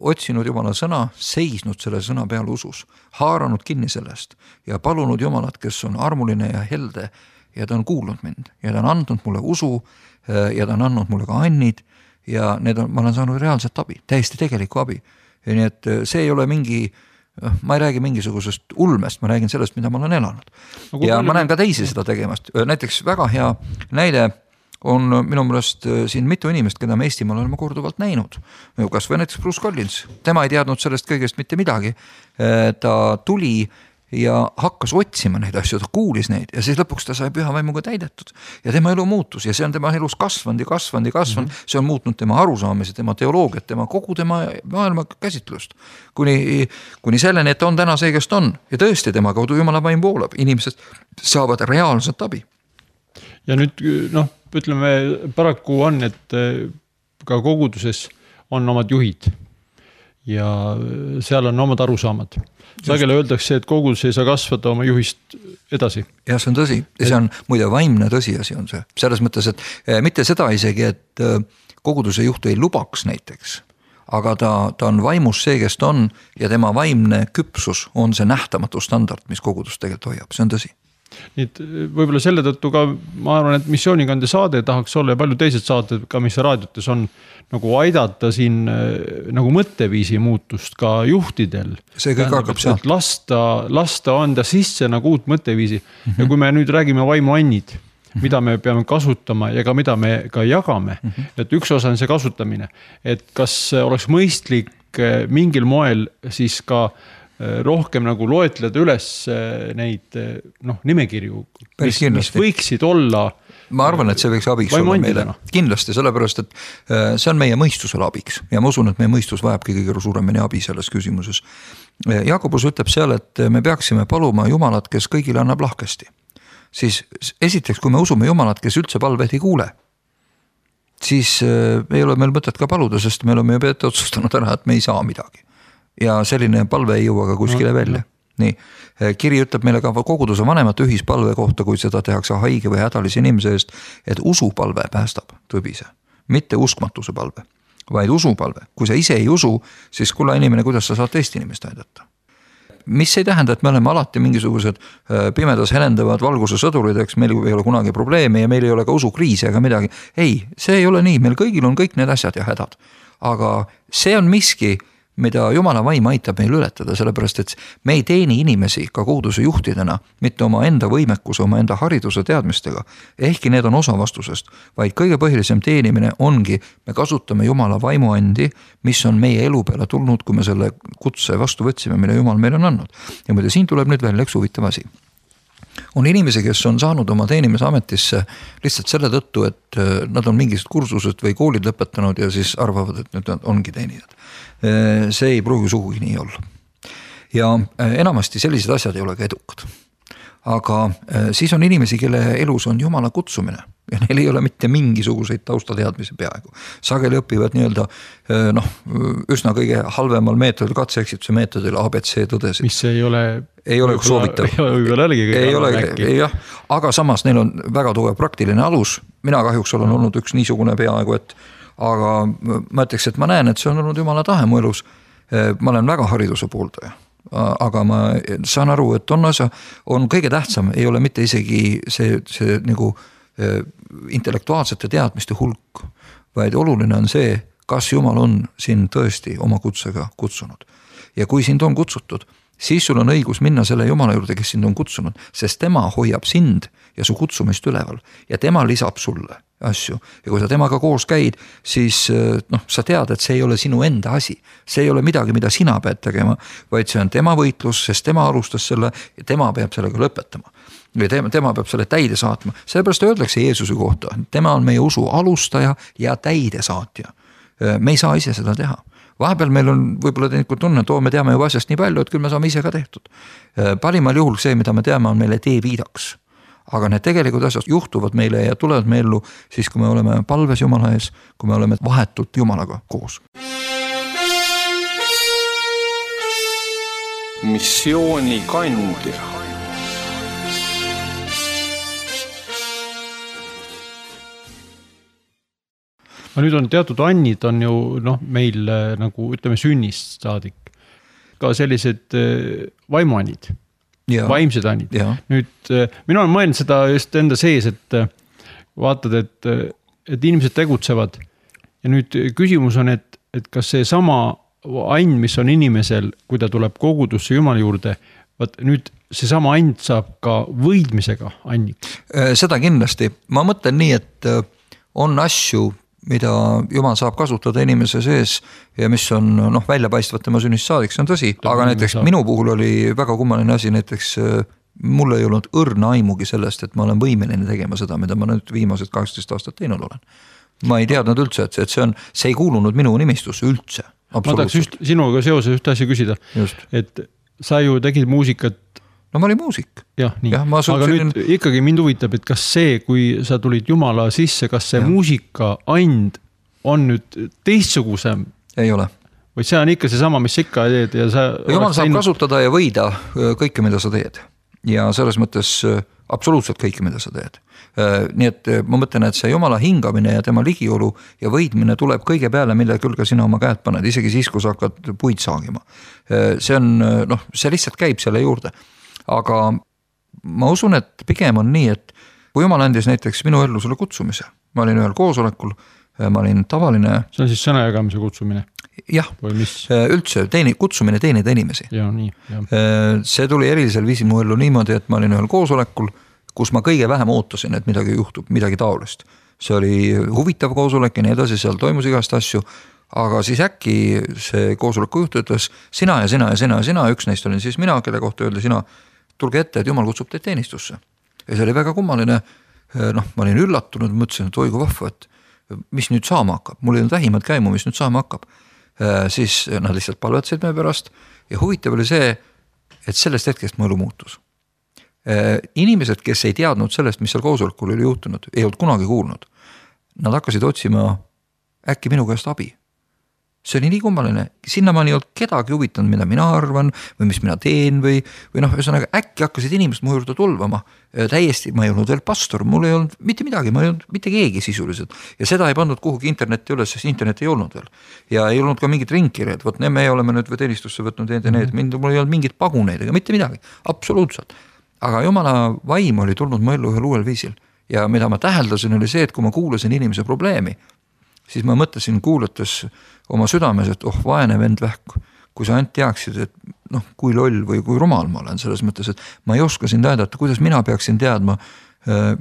otsinud Jumala sõna, seisnud selle sõna peal usus, haaranud kinni sellest ja palunud Jumalat, kes on armuline ja helde ja ta on kuulnud mind ja ta on andnud mulle usu ja ta on andnud mulle ka annid ja need on, ma olen saanud reaalset abi, täiesti tegelikku abi. Ja nii et see ei ole mingi, ma ei räägi mingisugusest ulmest, ma räägin sellest, mida ma olen elanud. No, ja ma näen ka teisi seda tegemast. Näiteks väga hea näide on minu meelest siin mitu inimest, keda me Eestimaal oleme korduvalt näinud. Kas või näiteks Bruce Collins, tema ei teadnud sellest kõigest mitte midagi. Ta tuli ja hakkas otsima neid asju, ta kuulis neid ja siis lõpuks ta sai püha vaimuga täidetud ja tema elu muutus ja see on tema elus kasvanud ja kasvanud ja kasvanud, mm-hmm. see on muutnud tema arusaamise, tema teoloogiat, tema kogu tema maailma käsitlust. Kuni, kuni selleni, et on täna see, kes ta on ja tõesti tema kaudu Jumala vaim voolab, inimesed saavad reaalset abi. Ja nüüd, noh, ütleme, paraku on, et ka koguduses on omad juhid ja seal on omad arusaamad. Sagele öeldakse, et kogudus ei saa kasvada oma juhist edasi. Ja see on tõsi. Ja see on muide vaimne tõsiasi on see. Selles mõttes, et mitte seda isegi, et koguduse juht ei lubaks näiteks, aga ta, ta on vaimus see, kes ta on ja tema vaimne küpsus on see nähtamatu standard, mis kogudus tegelikult hoiab. See on tõsi. Nii et võib-olla selle tõttu ka ma arvan, et missioonikande saade tahaks olla ja palju teised saated ka, mis raadiotes on nagu aidata siin nagu mõtteviisi muutust ka juhtidel. See kõik hakkab sealt. Lasta, lasta anda sisse nagu uut mõtteviisi mm-hmm. ja kui me nüüd räägime vaimuannid, mm-hmm. mida me peame kasutama ja ka mida me ka jagame, mm-hmm. et üks osa on see kasutamine, et kas oleks mõistlik mingil moel siis ka rohkem nagu loetleda üles neid noh, nimekirju, mis, mis võiksid olla. Ma arvan, et see võiks abiks olla meile. Kindlasti, sellepärast, et see on meie mõistusele abiks ja ma usun, et meie mõistus vajabki kõige suuremini abi selles küsimuses. Jakobus ütleb seal, et me peaksime paluma Jumalat, kes kõigile annab lahkesti. Siis esiteks, kui me usume Jumalat, kes üldse palveid ei kuule, siis ei ole meil mõtet ka paluda, sest me oleme juba ette otsustanud ära, et me ei saa midagi. Ja selline palve ei jõua ka kuskile välja. Nii, kiri ütleb meile ka koguduse vanemate ühispalve kohta, kui seda tehakse haige või hädalise inimese eest, et usupalve päästab tõbise, mitte uskmatuse palve, vaid usupalve. Kui sa ise ei usu, siis kulla inimene, kuidas sa saad teist inimest aidata. Mis ei tähenda, et me oleme alati mingisugused pimedas helendavad valguse sõdurid, eks meil ei ole kunagi probleeme ja meil ei ole ka usukriisi ega midagi. Ei, see ei ole nii, meil kõigil on kõik need asjad ja hädad. Aga see on miski, mida Jumala vaim aitab meil ületada, sellepärast, et me ei teeni inimesi ka koguduse juhtidena, mitte oma enda võimekuse, oma enda hariduse teadmistega, ehkki need on osa vastusest, vaid kõige põhilisem teenimine ongi, me kasutame Jumala vaimuandi, mis on meie elu peale tulnud, kui me selle kutse vastu võtsime, mille Jumal meil on andnud. Ja muide, siin tuleb nüüd veel üks huvitav asi. On inimesi, kes on saanud oma teenimise ametisse lihtsalt selle tõttu, et nad on mingisugused kursused või koolid lõpetanud ja siis arvavad, et nüüd ongi teenijad. See ei pruugi sugugi nii olla. Ja enamasti sellised asjad ei ole ka edukad. Aga siis on inimesi, kelle elus on Jumala kutsumine ja neil ei ole mitte mingisuguseid taustateadmisi peaaegu. Sageli õpivad nii-öelda noh, üsna kõige halvemal meetodil, katseeksituse meetodil A B C tõdesid. Mis ei ole, ei ole soovitav. Ei ole ei ole, jah, aga samas neil on väga tugev praktiline alus. Mina kahjuks olen olnud üks niisugune peaaegu, et aga ma ütleks, et ma näen, et see on olnud Jumala tahe mu elus. Ma olen väga hariduse pooldaja. Aga ma saan aru, et on osa, on kõige tähtsam, ei ole mitte isegi see, see nagu intellektuaalsete teadmiste hulk, vaid oluline on see, kas Jumal on sind tõesti oma kutsega kutsunud. Ja kui sind on kutsutud siis sul on õigus minna selle Jumala juurde, kes sind on kutsunud, sest tema hoiab sind ja su kutsumist üleval ja tema lisab sulle asju. Ja kui sa temaga koos käid, siis noh, sa tead, et see ei ole sinu enda asi. See ei ole midagi, mida sina pead tegema, vaid see on tema võitlus, sest tema alustas selle ja tema peab sellega lõpetama. Või tema, tema peab selle täide saatma. Sellepärast öeldakse Jeesuse kohta, tema on meie usu alustaja ja täide saatja. Me ei saa ise seda teha. Vahepeal meil on võib-olla tegelikult tunne, et oo, me teame juba asjast nii palju, et küll me saame ise ka tehtud. Parimal juhul see, mida me teame, on meile tee viidaks. Aga need tegelikult asjad juhtuvad meile ja tulevad me ellu siis, kui me oleme palves Jumala ees, kui me oleme vahetult Jumalaga koos. Missiooni kandja. No nüüd on teatud annid on ju noh, meil nagu ütleme sünnist saadik ka sellised vaimuannid, ja, vaimsed annid. Ja. Nüüd mina olen mõelnud seda just enda sees, et vaatad, et, et inimesed tegutsevad ja nüüd küsimus on, et, et kas see sama ann, mis on inimesel, kui ta tuleb kogudusse Jumala juurde, vaat nüüd see sama ann saab ka võidmisega anniks. Seda kindlasti. Ma mõtlen nii, et on asju, mida Jumal saab kasutada inimese sees ja mis on noh, väljapaistvad tema sünnist saadik, see on tõsi, aga näiteks saab. Minu puhul oli väga kummaline asi, näiteks mul ei olnud õrna aimugi sellest, et ma olen võimeline tegema seda, mida ma nüüd viimased kaheksateist aastat teinud olen. Ma ei teadnud üldse, et see, on, see ei kuulunud minu nimistusse üldse. Ma tahaks just sinuga seoses ühte asja küsida, just. Et sa ju tegid muusikat. No ma olin muusik. Jah, nii. Ja, aga nüüd ikkagi mind huvitab, et kas see, kui sa tulid Jumala sisse, kas see ja. Muusika and on nüüd teistsugusem? Ei ole. Või see on ikka see sama, mis ikka teed? Ja sa Jumal saab teinud... kasutada ja võida kõike, mida sa teed. Ja selles mõttes absoluutselt kõike, mida sa teed. Nii et ma mõtlen, et see Jumala hingamine ja tema ligiolu ja võidmine tuleb kõige peale, mille külge sina oma käed paned, isegi siis, kui sa hakkad puid saagima. See on, noh, see lihtsalt käib selle juurde. Aga ma usun, et pigem on nii, et kui Jumal andis näiteks minu ellu selle kutsumise, ma olin ühel koosolekul, ma olin tavaline... See on siis sõnajagamise kutsumine? Jah, üldse teeni, kutsumine teenida inimesi. Ja, nii, ja. See tuli erilisel viisil mu ellu niimoodi, et ma olin ühel koosolekul, kus ma kõige vähem ootasin, et midagi juhtub, midagi taolist. See oli huvitav koosolek ja nii edasi, seal toimus igast asju, aga siis äkki see koosoleku juht ütles sina ja sina ja sina ja sina, üks neist olin siis mina, kelle kohta öeldi sina, tulge ette, et Jumal kutsub teid teenistusse. Ja see oli väga kummaline, noh, ma olin üllatunud, mõtlesin, et oigu vahva, et mis nüüd saama hakkab, mul ei olnud vähimalt käimu, mis nüüd saama hakkab. Siis nad lihtsalt palvetasid meie pärast ja huvitav oli see, et sellest hetkest mu elu muutus. Inimesed, kes ei teadnud sellest, mis seal koosolekul oli juhtunud, ei olnud kunagi kuulnud. Nad hakkasid otsima äkki minu käest abi. See oli nii kummaline, sinna ma ei olnud kedagi huvitanud, mida mina arvan või mis mina teen või, või noh, ühesõnaga äkki hakkasid inimesed mu juurde tulvama. Täiesti, ma ei olnud veel pastor, mul ei olnud mitte midagi, ma ei olnud mitte keegi sisuliselt. Ja seda ei pandud kuhugi internetti üles, sest internet ei olnud veel. Ja ei olnud ka mingit ringkirjad, võt me oleme nüüd või teenistusse võtnud need ja need, mind, mul ei olnud mingit paguneid ega mitte midagi, absoluutselt. Aga Jumala vaim oli tulnud mu ellu ühel uuel viisil. Ja mida ma täheldasin oli see, et kui ma kuulasin inimese probleemi, siis ma mõtlesin kuulates oma südames, et oh, vaene vend vähk, kui sa ainult teaksid, et noh, kui loll või kui rumal ma olen selles mõttes, et ma ei oska sind aidata, kuidas mina peaksin teadma,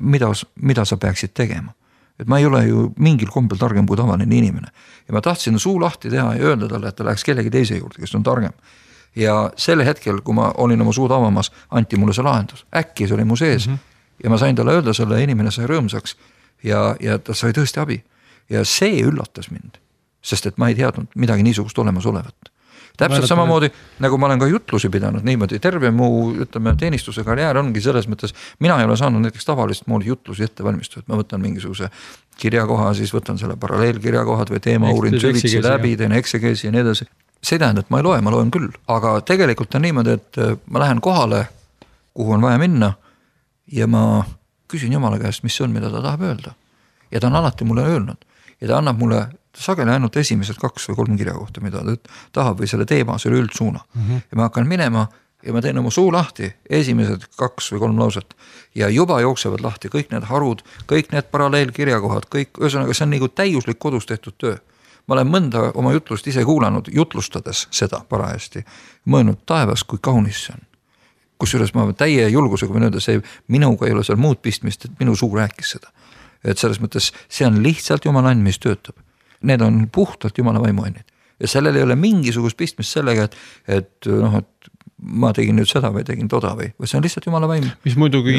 mida, mida sa peaksid tegema. Et ma ei ole ju mingil kombel targem kui tavaline inimene. Ja ma tahtsin suu lahti teha ja öelda talle, et ta läheks kellegi teise juurde, kes on targem. Ja selle hetkel, kui ma olin oma suud avamas, anti mulle see lahendus. Äkki see oli mu sees. Mm-hmm. Ja ma sain talle öelda, selle inimene sai rõõmsaks ja, ja ta sai tõesti abi. Ja see üllatas mind, sest et ma ei teadnud midagi niisugust olemas olevat. Täpselt samamoodi, nagu ma olen ka jutlusi pidanud niimoodi, terve mu ütleme, teenistuse karjäär ongi selles mõttes, mina ei ole saanud näiteks tavalist moodi jutlusi ette valmistada, et ma võtan mingisuguse kirjakoha, siis võtan selle paralleelkirjakohad või teema uurin süvitsi läbi, teen eksegeesi ja nii edasi. See tähendab, et ma ei loe, ma loen küll, aga tegelikult on niimoodi, et ma lähen kohale, kuhu on vaja minna ja ma küsin Jumala käest, mis on, mida ta tahab öelda. Ja ta on alati mulle öelnud. Ja ta annab mulle sageli ainult esimesed kaks või kolm kirja kohta, mida ta tahab või selle teema, selle üldsuuna. Mm-hmm. Ja ma hakkan minema ja ma teen oma suu lahti, esimesed kaks või kolm lauset ja juba jooksevad lahti kõik need harud, kõik need paralleelkirjakohad, kõik, ühesõnaga see on nagu täiuslik kodus tehtud töö. ma olen mõnda oma jutlust ise kuulanud, jutlustades seda parajasti, mõelnud taevas, kui kaunis see on. Kusjuures ma täie julgusega võin öelda, see minuga ei ole seal muud pistmist, et minu suu rääkis seda. Et selles mõttes see on lihtsalt Jumala and, mis töötab. Need on puhtalt Jumala vaimuannid. Ja sellel ei ole mingisugust pistmist sellega, et, et, noh, et ma tegin nüüd seda või tegin toda või, või see on lihtsalt Jumala vaim. Mis muidugi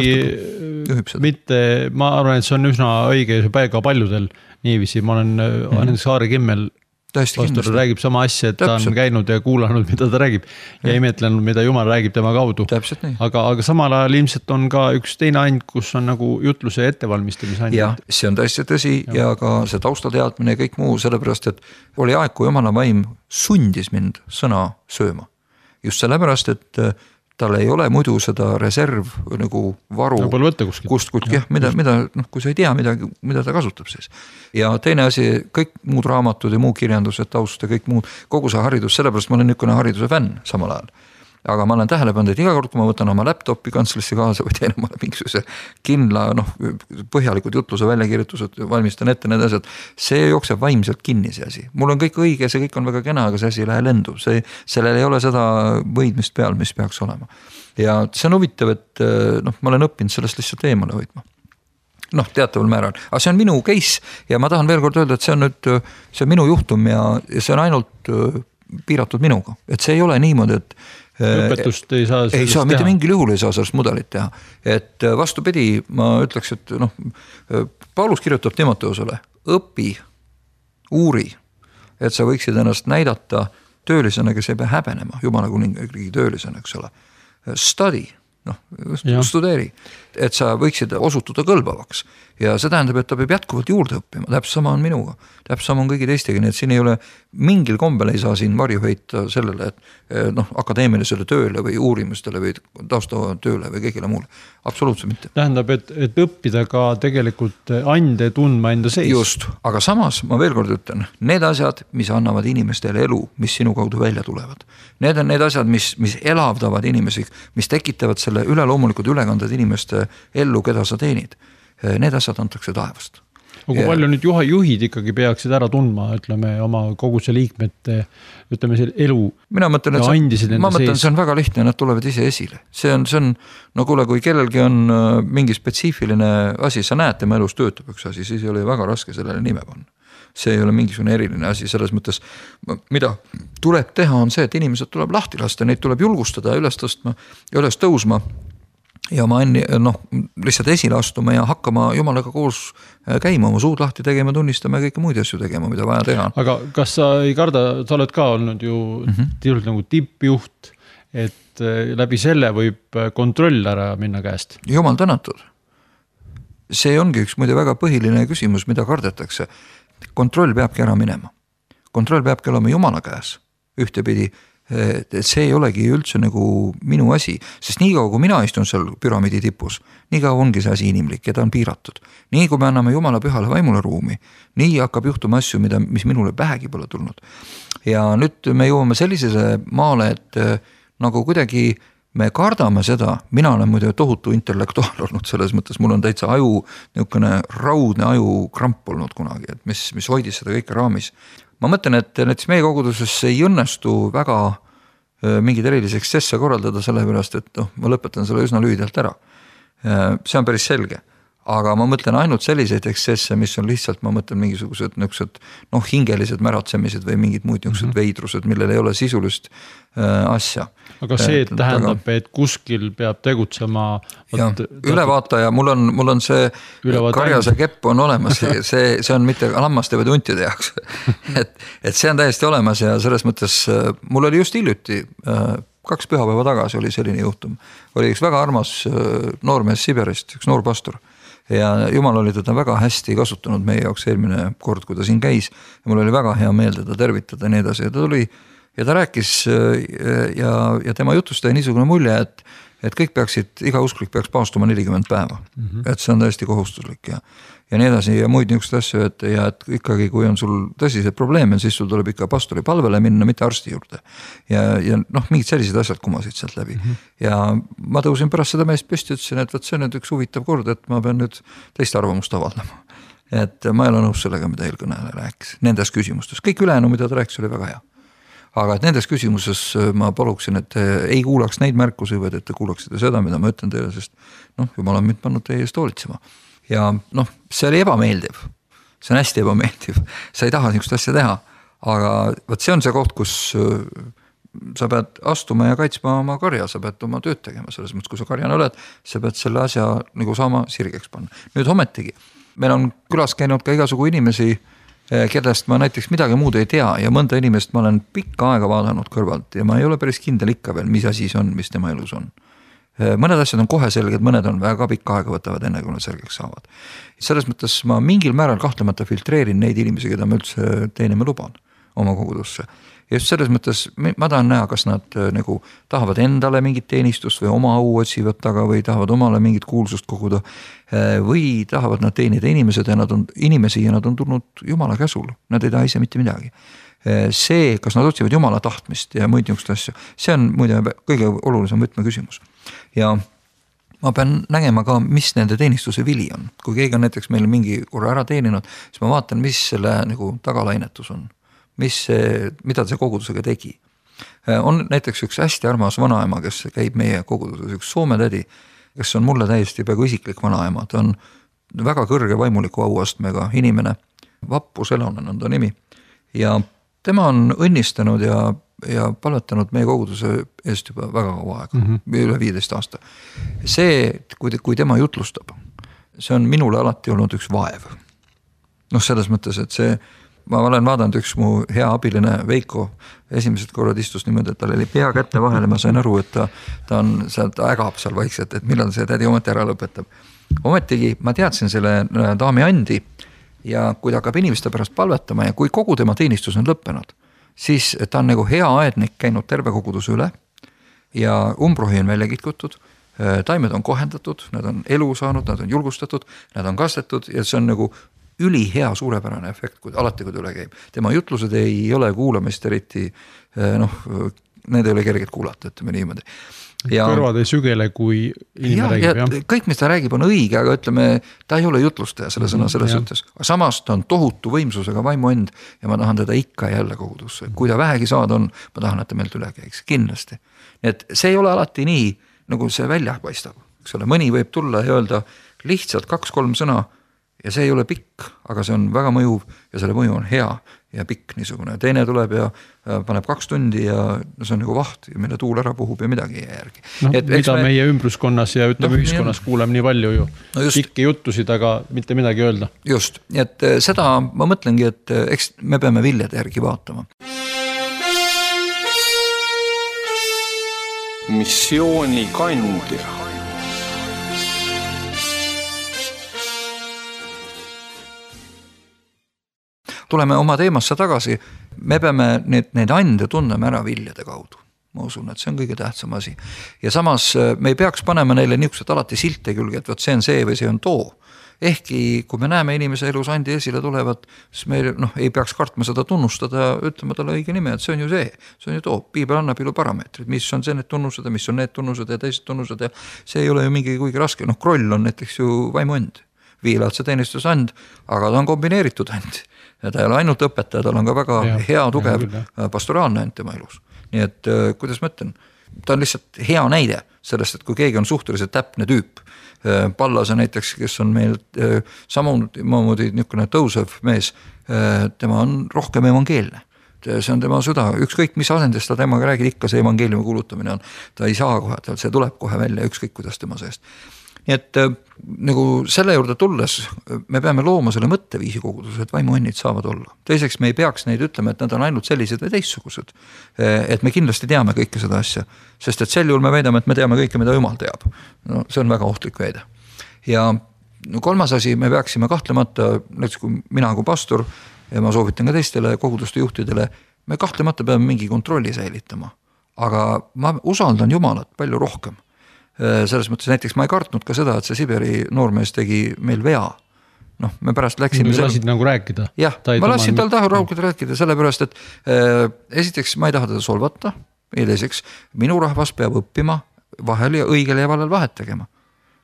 mitte, ma arvan, et see on üsna õige ka paljudel niiviisi. Ma olen mm. näiteks Aare Kimmel pastor räägib sama asja, et ta on käinud ja kuulanud, mida ta räägib ja, ja imetlenud, mida Jumal räägib tema kaudu. Aga, aga samal ajal ilmselt on ka üks teine and, kus on nagu jutluse ettevalmistamise and. Ja, see on tõesti tõsi ja. ja ka see taustateadmine ja kõik muu, sellepärast, et oli aeg, kui Jumala vaim sundis mind sõna sööma. Just sellepärast, et tal ei ole muidu seda reserv nagu varu, kust, kust, jah, mida, mida, noh, kui sa ei tea, mida, mida ta kasutab siis. Ja teine asi, kõik muud raamatud ja muu kirjandused, taust ja kõik muud, kogu see haridus, sellepärast ma olen niisugune hariduse fänn samal ajal. Aga ma olen tähele pannud, et iga kord, kui ma võtan oma laptopi kantslisse kaasa või teen omale mingisuguse kindla, noh, põhjalikud jutluse väljakirjutused, valmistan ette need asjad, see jookseb vaimselt kinni see asi. Mul on kõik õige, see kõik on väga kena, aga see asi ei lähe lendu. See, sellel ei ole seda võidmist peal, mis peaks olema. Ja see on huvitav, et noh, ma olen õppinud sellest lihtsalt eemale hoidma. Noh, teataval määral. Aga see on minu case ja ma tahan veel kord öelda, et see on nüüd, see on minu juhtum ja, ja see on ainult piiratud minuga. Et see ei ole niimoodi, et õpetust ei saa ei saa, mitte mingil juhul ei saa sellest mudelit teha. Et vastupidi, ma ütleks, et noh, Paulus kirjutab Timoteusele, õpi, uuri, et sa võiksid ennast näidata töölisena, kes ei pea häbenema, Jumala kuningriigi töölisena, eks ole. Study, noh, studeeri, et sa võiksid osutuda kõlbavaks. Ja see tähendab, et ta peab jätkuvalt juurde õppima, täpselt sama on minuga, täpselt sama on kõigi teistegi, nii et siin ei ole mingil kombel ei saa siin varju heita sellele, et noh, akadeemilisele tööle või uurimustele või taustatööle või kõigile muule. Absoluutselt mitte. Tähendab, et, et õppida ka tegelikult ande tundma enda seis. Just, aga samas ma veel kord ütlen, need asjad, mis annavad inimestele elu, mis sinu kaudu välja tulevad. Need on need asjad, mis, mis elavdavad inimesi, mis tekitavad selle üleloomulikud ülekanded inimeste ellu, keda sa teenid. Need asjad antakse taevast. Aga kui palju nüüd juha juhid ikkagi peaksid ära tundma, ütleme, oma koguse liikmete, ütleme, selle elu Mina mõtlen, et see, ma mõtlen, see on väga lihtne, nad tulevad ise esile. See on, see on, no kuule, kui kellelgi on mingi spetsiifiline asi, sa näed, tema elus töötab üks asi, siis ei ole väga raske sellele nime panna. See ei ole mingisugune eriline asi, selles mõttes, mida tuleb teha, on see, et inimesed tuleb lahti lasta, neid tuleb julgustada, üles tõstma ja üles tõusma. Ja ma enne, noh, lihtsalt esile astuma ja hakkama Jumalaga koos käima, oma suud lahti tegema, tunnistama ja kõike muid asju tegema, mida vaja teha. Aga kas sa ei karda, sa oled ka olnud ju mm-hmm. tiiult nagu tippjuht, et läbi selle võib kontroll ära minna käest? Jumal tänatud. See ongi üks muide väga põhiline küsimus, mida kardetakse. Kontroll peabki ära minema. Kontroll peabki olema Jumala käes. Ühtepidi et see ei olegi üldse nagu minu asi, sest nii kaua, kui mina istun seal püramiidi tipus, nii kaua ongi see asi inimlik ja ta on piiratud. Nii kui me anname Jumala pühale vaimule ruumi, nii hakkab juhtuma asju, mida, mis minule pähegi pole tulnud. Ja nüüd me jõuame sellisele maale, et nagu kuidagi me kardame seda, mina olen muide tohutu intellektuaal olnud selles mõttes, mul on täitsa aju, niisugune raudne aju kramp olnud kunagi, et mis, mis hoidis seda kõike raamis. Ma mõtlen, et näiteks meie koguduses ei õnnestu väga mingid erilisi ekstsesse korraldada sellepärast, et noh, ma lõpetan selle üsna lühidalt ära. See on päris selge. Aga ma mõtlen ainult selliseid ekstsesse, mis on lihtsalt, ma mõtlen mingisugused niisugused, noh, hingelised märatsemised või mingid muud niisugused mm-hmm. veidrused, millel ei ole sisulist äh, asja. Aga see et, tähendab, aga, et kuskil peab tegutsema ja, ülevaataja, mul on, mul on see karjase kepp on olemas, see, see on mitte lammaste või tuntide jaoks. et, et see on täiesti olemas ja selles mõttes, mul oli just hiljuti äh, kaks pühapäeva tagasi oli selline juhtum. Oli üks väga armas äh, noormees Siberist, üks noor pastor. Ja Jumal oli teda väga hästi kasutanud meie jaoks eelmine kord, kui ta siin käis. Ja mul oli väga hea meel teda tervitada ja nii edasi. Ja ta tuli ja ta rääkis ja, ja tema jutust tõi niisugune mulje, et, et kõik peaksid, iga usklik peaks paastuma nelikümmend päeva. Mm-hmm. Et see on täiesti kohustuslik ja, ja nii edasi ja muid niisugust asju, et, ja et ikkagi kui on sul tõsised probleeme, siis sul tuleb ikka pastori palvele minna, mitte arsti juurde. Ja, ja noh, mingid sellised asjad kumasid sealt läbi. Mm-hmm. Ja ma tõusin pärast seda meest püsti, ütlesin, et võt see on nüüd üks huvitav kord, et ma pean nüüd teist arvamust avaldama. et ma ei ole nõus sellega, mida eelkõneleja rääkis nendes küsimustes, kõik ülejäänu, mida ta rääkis, oli väga hea. Aga et nendes küsimuses ma paluksin, et ei kuulaks neid märkusi, vaid et te kuulaksite seda, mida ma ütlen teile, sest noh, jumal on mind pannud teie eest hoolitsema. Ja noh, see oli ebameeldiv, see on hästi ebameeldiv, sa ei taha niisugust asja teha, aga võt see on see koht, kus sa pead astuma ja kaitsma oma karja, sa pead oma tööd tegema selles mõttes, kui sa karjana oled, sa pead selle asja nagu saama sirgeks panna. Nüüd hometigi, meil on külas käinud ka igasugu inimesi, kellest ma näiteks midagi muud ei tea ja mõnda inimest ma olen pikka aega vaadanud kõrvalt ja ma ei ole päris kindel ikka veel, mis asi see on, mis tema elus on. Mõned asjad on kohe selged, mõned on väga pikka aega võtavad enne, kui nad selgeks saavad. Selles mõttes ma mingil määral kahtlemata filtreerin neid inimesi, keda ma üldse teenima luban oma kogudusse. Ja just selles mõttes ma tahan näha, kas nad nagu tahavad endale mingit teenistust või oma au otsivad taga või tahavad omale mingit kuulsust koguda või tahavad nad teenida inimesed ja nad on inimesi ja nad on tulnud Jumala käsul, nad ei taha ise mitte midagi. See, kas nad otsivad Jumala tahtmist ja muid niisugust asju, see on muide kõige olulisem võtme küsimus. Ja ma pean nägema ka, mis nende teenistuse vili on. Kui keegi on näiteks meil mingi korra ära teeninud, siis ma vaatan, mis selle nagu tagalainetus on. Mis see, mida see kogudusega tegi. On näiteks üks hästi armas vanaema, kes käib meie koguduses, üks Soome tädi, kes on mulle täiesti peaaegu isiklik vanaema. Ta on väga kõrge vaimuliku auastmega inimene, Vappu Selonen on ta nimi. Ja tema on õnnistanud ja, ja palvetanud meie koguduse eest juba väga kaua aega, mm -hmm. üle viieteist aasta. See, kui, kui tema jutlustab, see on minule alati olnud üks vaev. Noh, selles mõttes, et see ma olen vaadanud üks mu hea abiline Veiko esimesed korrad istus niimoodi, et tal oli pea kätte vahele, ma sain aru, et ta, ta on seal, ta ägab seal vaikselt, et millal see tädi ometi ära lõpetab. Ometigi ma teadsin selle daami andi ja kui ta hakkab inimeste pärast palvetama ja kui kogu tema teenistus on lõppenud, siis ta on nagu hea aednik käinud terve koguduse üle ja umbrohi on välja kitkutud, taimed on kohendatud, nad on elu saanud, nad on julgustatud, nad on kastetud ja see on nagu üli hea suurepärane efekt, kui alati kui ta üle käib. Tema jutlused ei ole kuulamist eriti, noh, need ei ole kerged kuulata, ütleme niimoodi. Ja, kõrvad ei sügele, kui inimene ja, räägib. Ja kõik, mis ta räägib, on õige, aga ütleme, ta ei ole jutlustaja selle sõna selles suhtes. Samas ta on tohutu võimsusega vaimu end ja ma tahan teda ikka jälle kogudusse. Kui ta vähegi saada on, ma tahan, et ta meilt üle käiks. Kindlasti. Nii et see ei ole alati nii, nagu see välja paistab. Eks ole, mõni võib tulla ja öelda lihtsalt kaks-kolm sõna ja see ei ole pikk, aga see on väga mõjuv ja selle mõju on hea ja pikk niisugune. Teine tuleb ja paneb kaks tundi ja see on nagu vaht, mille tuul ära puhub ja midagi ei järgi. No, et, mida me... meie ümbruskonnas ja ütleme no, ühiskonnas kuuleme nii palju ju. No pikki juttusid, aga mitte midagi öelda. Just, et seda ma mõtlengi, et eks me peame viljade järgi vaatama. Missiooni kandja. Tuleme oma teemasse tagasi, me peame need, need ande tunneme ära viljade kaudu. Ma usun, et see on kõige tähtsam asi. Ja samas me ei peaks panema neile niisugused alati silte külge, et võt see on see või see on too. Ehkki kui me näeme inimese elus andi esile tulevad, siis me noh, ei peaks kartma seda tunnustada, ütlema talle õige nime, et see on ju see, see on ju too. Piibel annab ilu parameetrid, mis on see need tunnused ja mis on need tunnused ja teised tunnused ja see ei ole ju mingi kuigi raske. Noh, kroll on näiteks ju vaimuand, viilaadse teenistusand, aga ta on kombineeritud and. Ja ta ei ole ainult õpetaja, tal on ka väga ja, hea, tugev ja, pastoraalne end tema elus. Nii et kuidas ma ütlen, ta on lihtsalt hea näide sellest, et kui keegi on suhteliselt täpne tüüp, Pallase näiteks, kes on meil samamoodi niisugune tõusev mees, tema on rohkem evangeelne. See on tema süda, ükskõik mis asendist ta temaga räägid, ikka see evangeeliumi kuulutamine on, ta ei saa kohe, see tuleb kohe välja, ükskõik kuidas tema seest. Nii et nagu selle juurde tulles me peame looma selle mõtteviisi koguduse, et vaimuannid saavad olla. Teiseks me ei peaks neid ütlema, et nad on ainult sellised või teistsugused. Et me kindlasti teame kõike seda asja, sest et sel juhul me väidame, et me teame kõike, mida Jumal teab. No, see on väga ohtlik väide. Ja kolmas asi, me peaksime kahtlemata, näiteks kui mina kui pastor ja ma soovitan ka teistele koguduste juhtidele, me kahtlemata peame mingi kontrolli säilitama. Aga ma usaldan Jumalat palju rohkem. Selles mõttes näiteks ma ei kartnud ka seda, et see Siberi noormees tegi meil vea. Noh, me pärast läksime... Me lasid nagu rääkida. Jah, ma lasin tal taha rahulikult rääkida, sellepärast, et äh, esiteks ma ei taha teda solvata, ja teiseks minu rahvas peab õppima vahel ja õigel ja valel vahet tegema.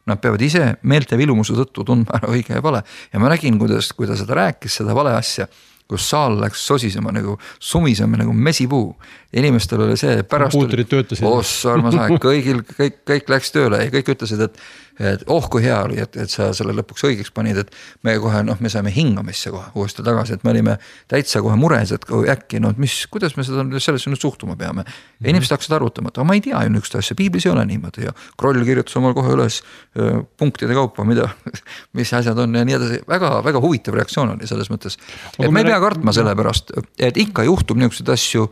nad peavad ise meelte vilumuse tõttu tundma ära õige ja vale. Ja ma nägin, kuidas, kui ta seda rääkis, seda vale asja, kus saal läks sosisema nagu sumisema nagu mesipuu. Inimestel oli see pärast puutrid töötasid. Ossa armas aeg, kõigil, kõik, kõik läks tööle ja kõik ütlesid, et, et oh kui hea oli, et, et sa selle lõpuks õigeks panid, et me kohe, noh, me saime hingamisse kohe uuesti tagasi, et me olime täitsa kohe mures, et äkki, no mis, kuidas me seda sellesse nüüd suhtuma peame. Ja inimesed hakkasid arvutama, et ma ei tea ju nükst asja, piiblis ei ole niimoodi ja Kroll kirjutas omal kohe üles punktide kaupa, mida, mis asjad on ja nii edasi. Väga, väga huvitav reaktsioon oli selles mõttes, et me ei pea kartma selle pärast, et ikka juhtub niisuguseid asju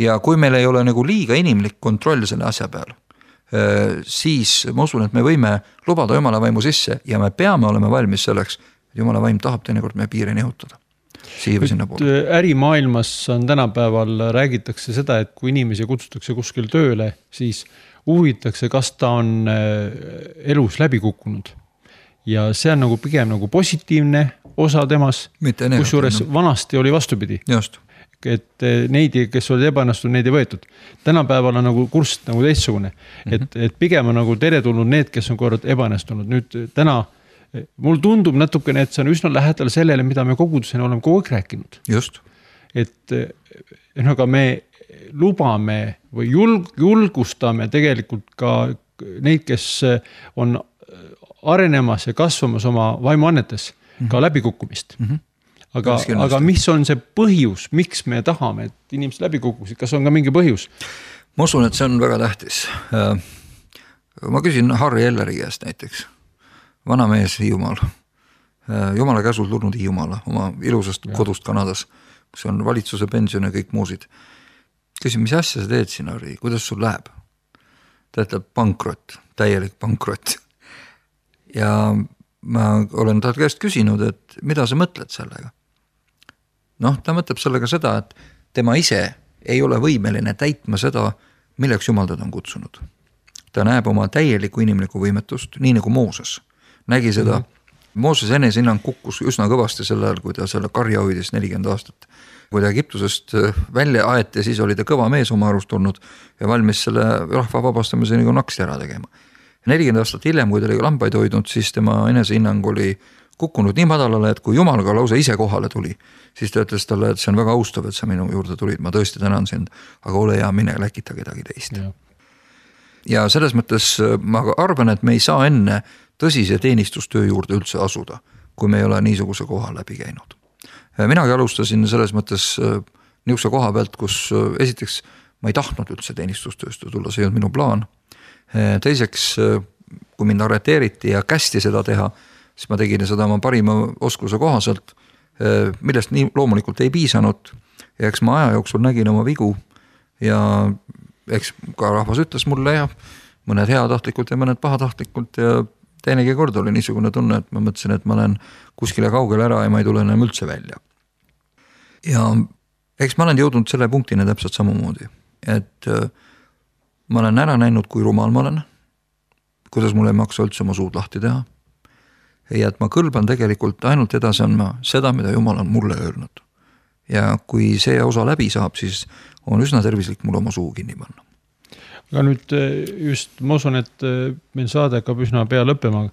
ja kui meil ei ole nagu liiga inimlik kontroll selle asja peal, siis ma usun, et me võime lubada Jumala vaimu sisse ja me peame olema valmis selleks, et Jumala vaim tahab teinekord meie piiri nihutada. Ärimaailmas on tänapäeval räägitakse seda, et kui inimesi kutsutakse kuskil tööle, siis uuritakse, kas ta on elus läbi kukkunud. Ja see on nagu pigem nagu positiivne osa temas, kus juures vanasti oli vastupidi. Just. Et neid, kes olid ebaõnnestunud, neid ei võetud. Tänapäeval on nagu kurss nagu teistsugune. Et, et pigem on nagu teretulnud need, kes on kord ebaõnnestunud. Nüüd täna, mul tundub natukene, et see on üsna lähedal sellele, mida me kogudusena oleme kogu aeg rääkinud. Just. Et aga me lubame või julg, julgustame tegelikult ka neid, kes on arenemas ja kasvamas oma vaimuannetes mm-hmm. ka läbikukkumist. Mm-hmm. Aga, aga mis on see põhjus, miks me tahame, et inimesed läbi kukkusid? Kas on ka mingi põhjus? Ma usun, et see on väga tähtis. Ma küsin Harri Elleri käest näiteks. Vana mees Hiiumaal. Jumala käsul tulnud Hiiumaale oma ilusast ja. Kodust Kanadas, kus on valitsuse pension ja kõik muusid. Küsin, mis asja sa teed siin, Harri? Kuidas sul läheb? Ta ütleb pankrot, täielik pankrot. Ja ma olen ta käest küsinud, et mida sa mõtled sellega? Noh, ta mõtleb sellega seda, et tema ise ei ole võimeline täitma seda, milleks Jumal teda on kutsunud. Ta näeb oma täielikku inimlikku võimetust, nii nagu Mooses. Nägi seda, mm-hmm. Mooses enesehinnang kukkus üsna kõvasti sel ajal, kui ta selle karja hoidis nelikümmend aastat. Kui ta Egiptusest välja aeti, siis oli ta kõva mees oma arust olnud ja valmis selle rahva vabastamise nagu naksti ära tegema. nelikümmend aastat hiljem, kui ta oli lambaid hoidnud, siis tema enesehinnang oli kukkunud nii madalale, et kui Jumal ka lausa ise kohale tuli, siis ta ütles talle, et see on väga austav, et sa minu juurde tulid, ma tõesti tänan sind, aga ole hea, mine läkita kedagi teist. Ja. ja selles mõttes ma arvan, et me ei saa enne tõsise teenistustöö juurde üldse asuda, kui me ei ole niisuguse koha läbi käinud. Minagi alustasin selles mõttes niisuguse koha pealt, kus esiteks ma ei tahtnud üldse teenistustööst tulla, see ei olnud minu plaan. Teiseks, kui mind arreteeriti ja kästi seda teha, siis ma tegin seda oma parima oskuse kohaselt, millest nii loomulikult ei piisanud. Ja eks ma aja jooksul nägin oma vigu ja eks ka rahvas ütles mulle ja mõned heatahtlikult ja mõned pahatahtlikult ja teinegi kord oli niisugune tunne, et ma mõtlesin, et ma olen kuskile kaugele ära ja ma ei tule enam üldse välja. Ja eks ma olen jõudnud selle punktini täpselt samamoodi, et ma olen ära näinud, kui rumal ma olen, kuidas mul ei maksa üldse oma suud lahti teha ja et ma kõlban tegelikult ainult edasi andma seda, mida Jumal on mulle öelnud. Ja kui see osa läbi saab, siis on üsna tervislik mul oma suu kinni panna. Aga nüüd just ma usun, et meil saade hakkab üsna pea lõppema,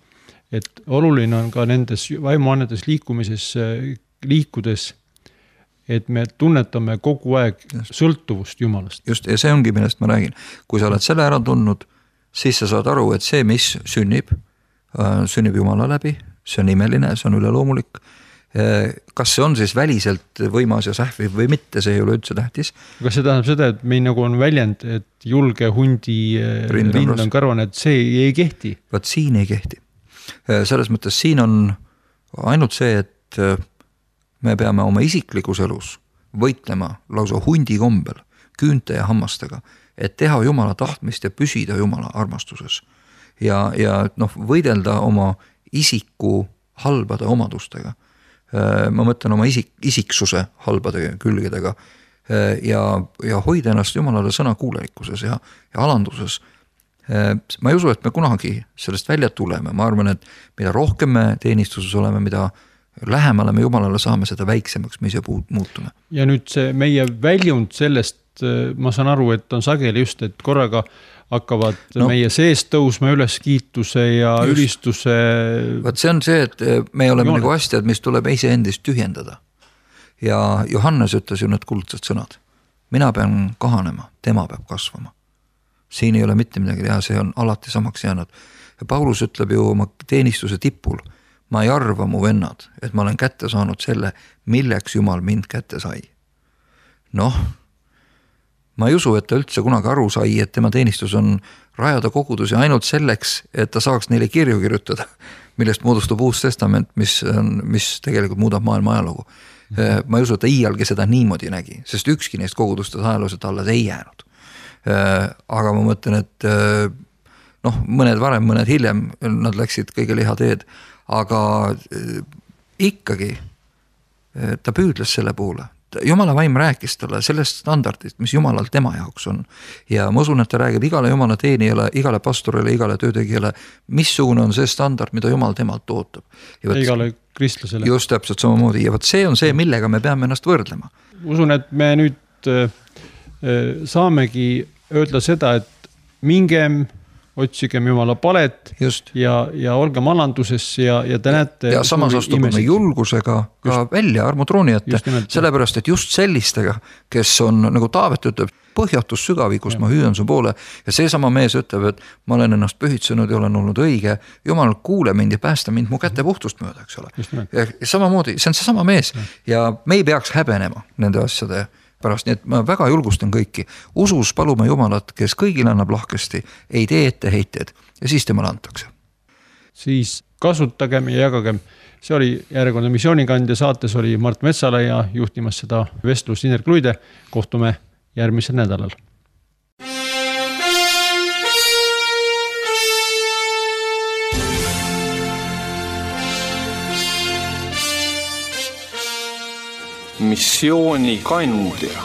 et oluline on ka nendes vaimuannetes liikumises liikudes, et me tunnetame kogu aeg just. Sõltuvust Jumalast. Just, ja see ongi, millest ma räägin. Kui sa oled selle ära tundnud, siis sa saad aru, et see, mis sünnib, sünnib Jumala läbi, see on imeline, see on üleloomulik. Kas see on siis väliselt võimas ja sähviv või mitte, see ei ole üldse tähtis. Kas see tähendab seda, et meil nagu on väljend, et julge hundi rind on, rind on karvane, et see ei kehti? Vaat siin ei kehti. Selles mõttes siin on ainult see, et me peame oma isiklikus elus võitlema lausa hundi kombel, küünte ja hammastega, et teha Jumala tahtmist ja püsida Jumala armastuses. Ja, ja noh, võidelda oma isiku halbade omadustega. Ma mõtlen oma isik, isiksuse halbade külgedega ja, ja hoida ennast Jumalale sõna kuulelikkuses ja, ja alanduses. Ma ei usu, et me kunagi sellest välja tuleme. Ma arvan, et mida rohkem me teenistuses oleme, mida lähemale me Jumalale saame, seda väiksemaks me ise muutume. Ja nüüd see meie väljund sellest sest ma saan aru, et on sageli just, et korraga hakkavad no. meie seest tõusma üles kiituse ja just. Ülistuse. Vaat see on see, et me oleme nagu asjad, mis tuleb ise endist tühjendada. Ja Johannes ütles ju need kuldsed sõnad. Mina pean kahanema, tema peab kasvama. Siin ei ole mitte midagi teha, see on alati samaks jäänud. Ja Paulus ütleb ju oma teenistuse tipul, ma ei arva mu vennad, et ma olen kätte saanud selle, milleks Jumal mind kätte sai. Noh, ma ei usu, et ta üldse kunagi aru sai, et tema teenistus on rajada kogudusi ainult selleks, et ta saaks neile kirju kirjutada, millest moodustub uus testament, mis, on, mis tegelikult muudab maailma ajalugu. Ma ei usu, et ta iialgi seda niimoodi nägi, sest ükski neist kogudustes ajalooliselt alles ei jäänud. Aga ma mõtlen, et noh, mõned varem, mõned hiljem, nad läksid kõige liha teed, aga ikkagi ta püüdles selle poole. Jumala vaim rääkis talle sellest standardist, mis Jumalal tema jaoks on. Ja ma usun, et ta räägib igale Jumala teenijale, igale pastorile, igale töötegijale, missugune on see standard, mida Jumal temalt ootab. Ja võt, igale kristlasele. Just täpselt samamoodi. Ja võt see on see, millega me peame ennast võrdlema. Usun, et me nüüd saamegi öelda seda, et mingem otsigem Jumala palet Just. ja, ja olgem alanduses ja, ja te näete. Ja samas astume julgusega ka just. Välja armutrooni ette, sellepärast, et just sellistega, kes on, nagu Taavet ütleb, põhjatus sügavi, kus ja. Ma hüüan su poole ja see sama mees ütleb, et ma olen ennast pühitsenud ja olen olnud õige, Jumal kuule mind ja päästa mind mu kätte puhtust mööda, eks ole. Ja samamoodi, see on see sama mees ja, ja me ei peaks häbenema nende asjade pärast, nii et ma väga julgustan kõiki. Usus palume Jumalat, kes kõigil annab lahkesti, ei tee ette heited ja siis temale antakse. Siis kasutagem ja jagagem. See oli järjekordne missioonikandja, saates oli Mart Metsala ja juhtimas seda vestlust Indrek Luide. Kohtume järgmisel nädalal. Missioonikandja.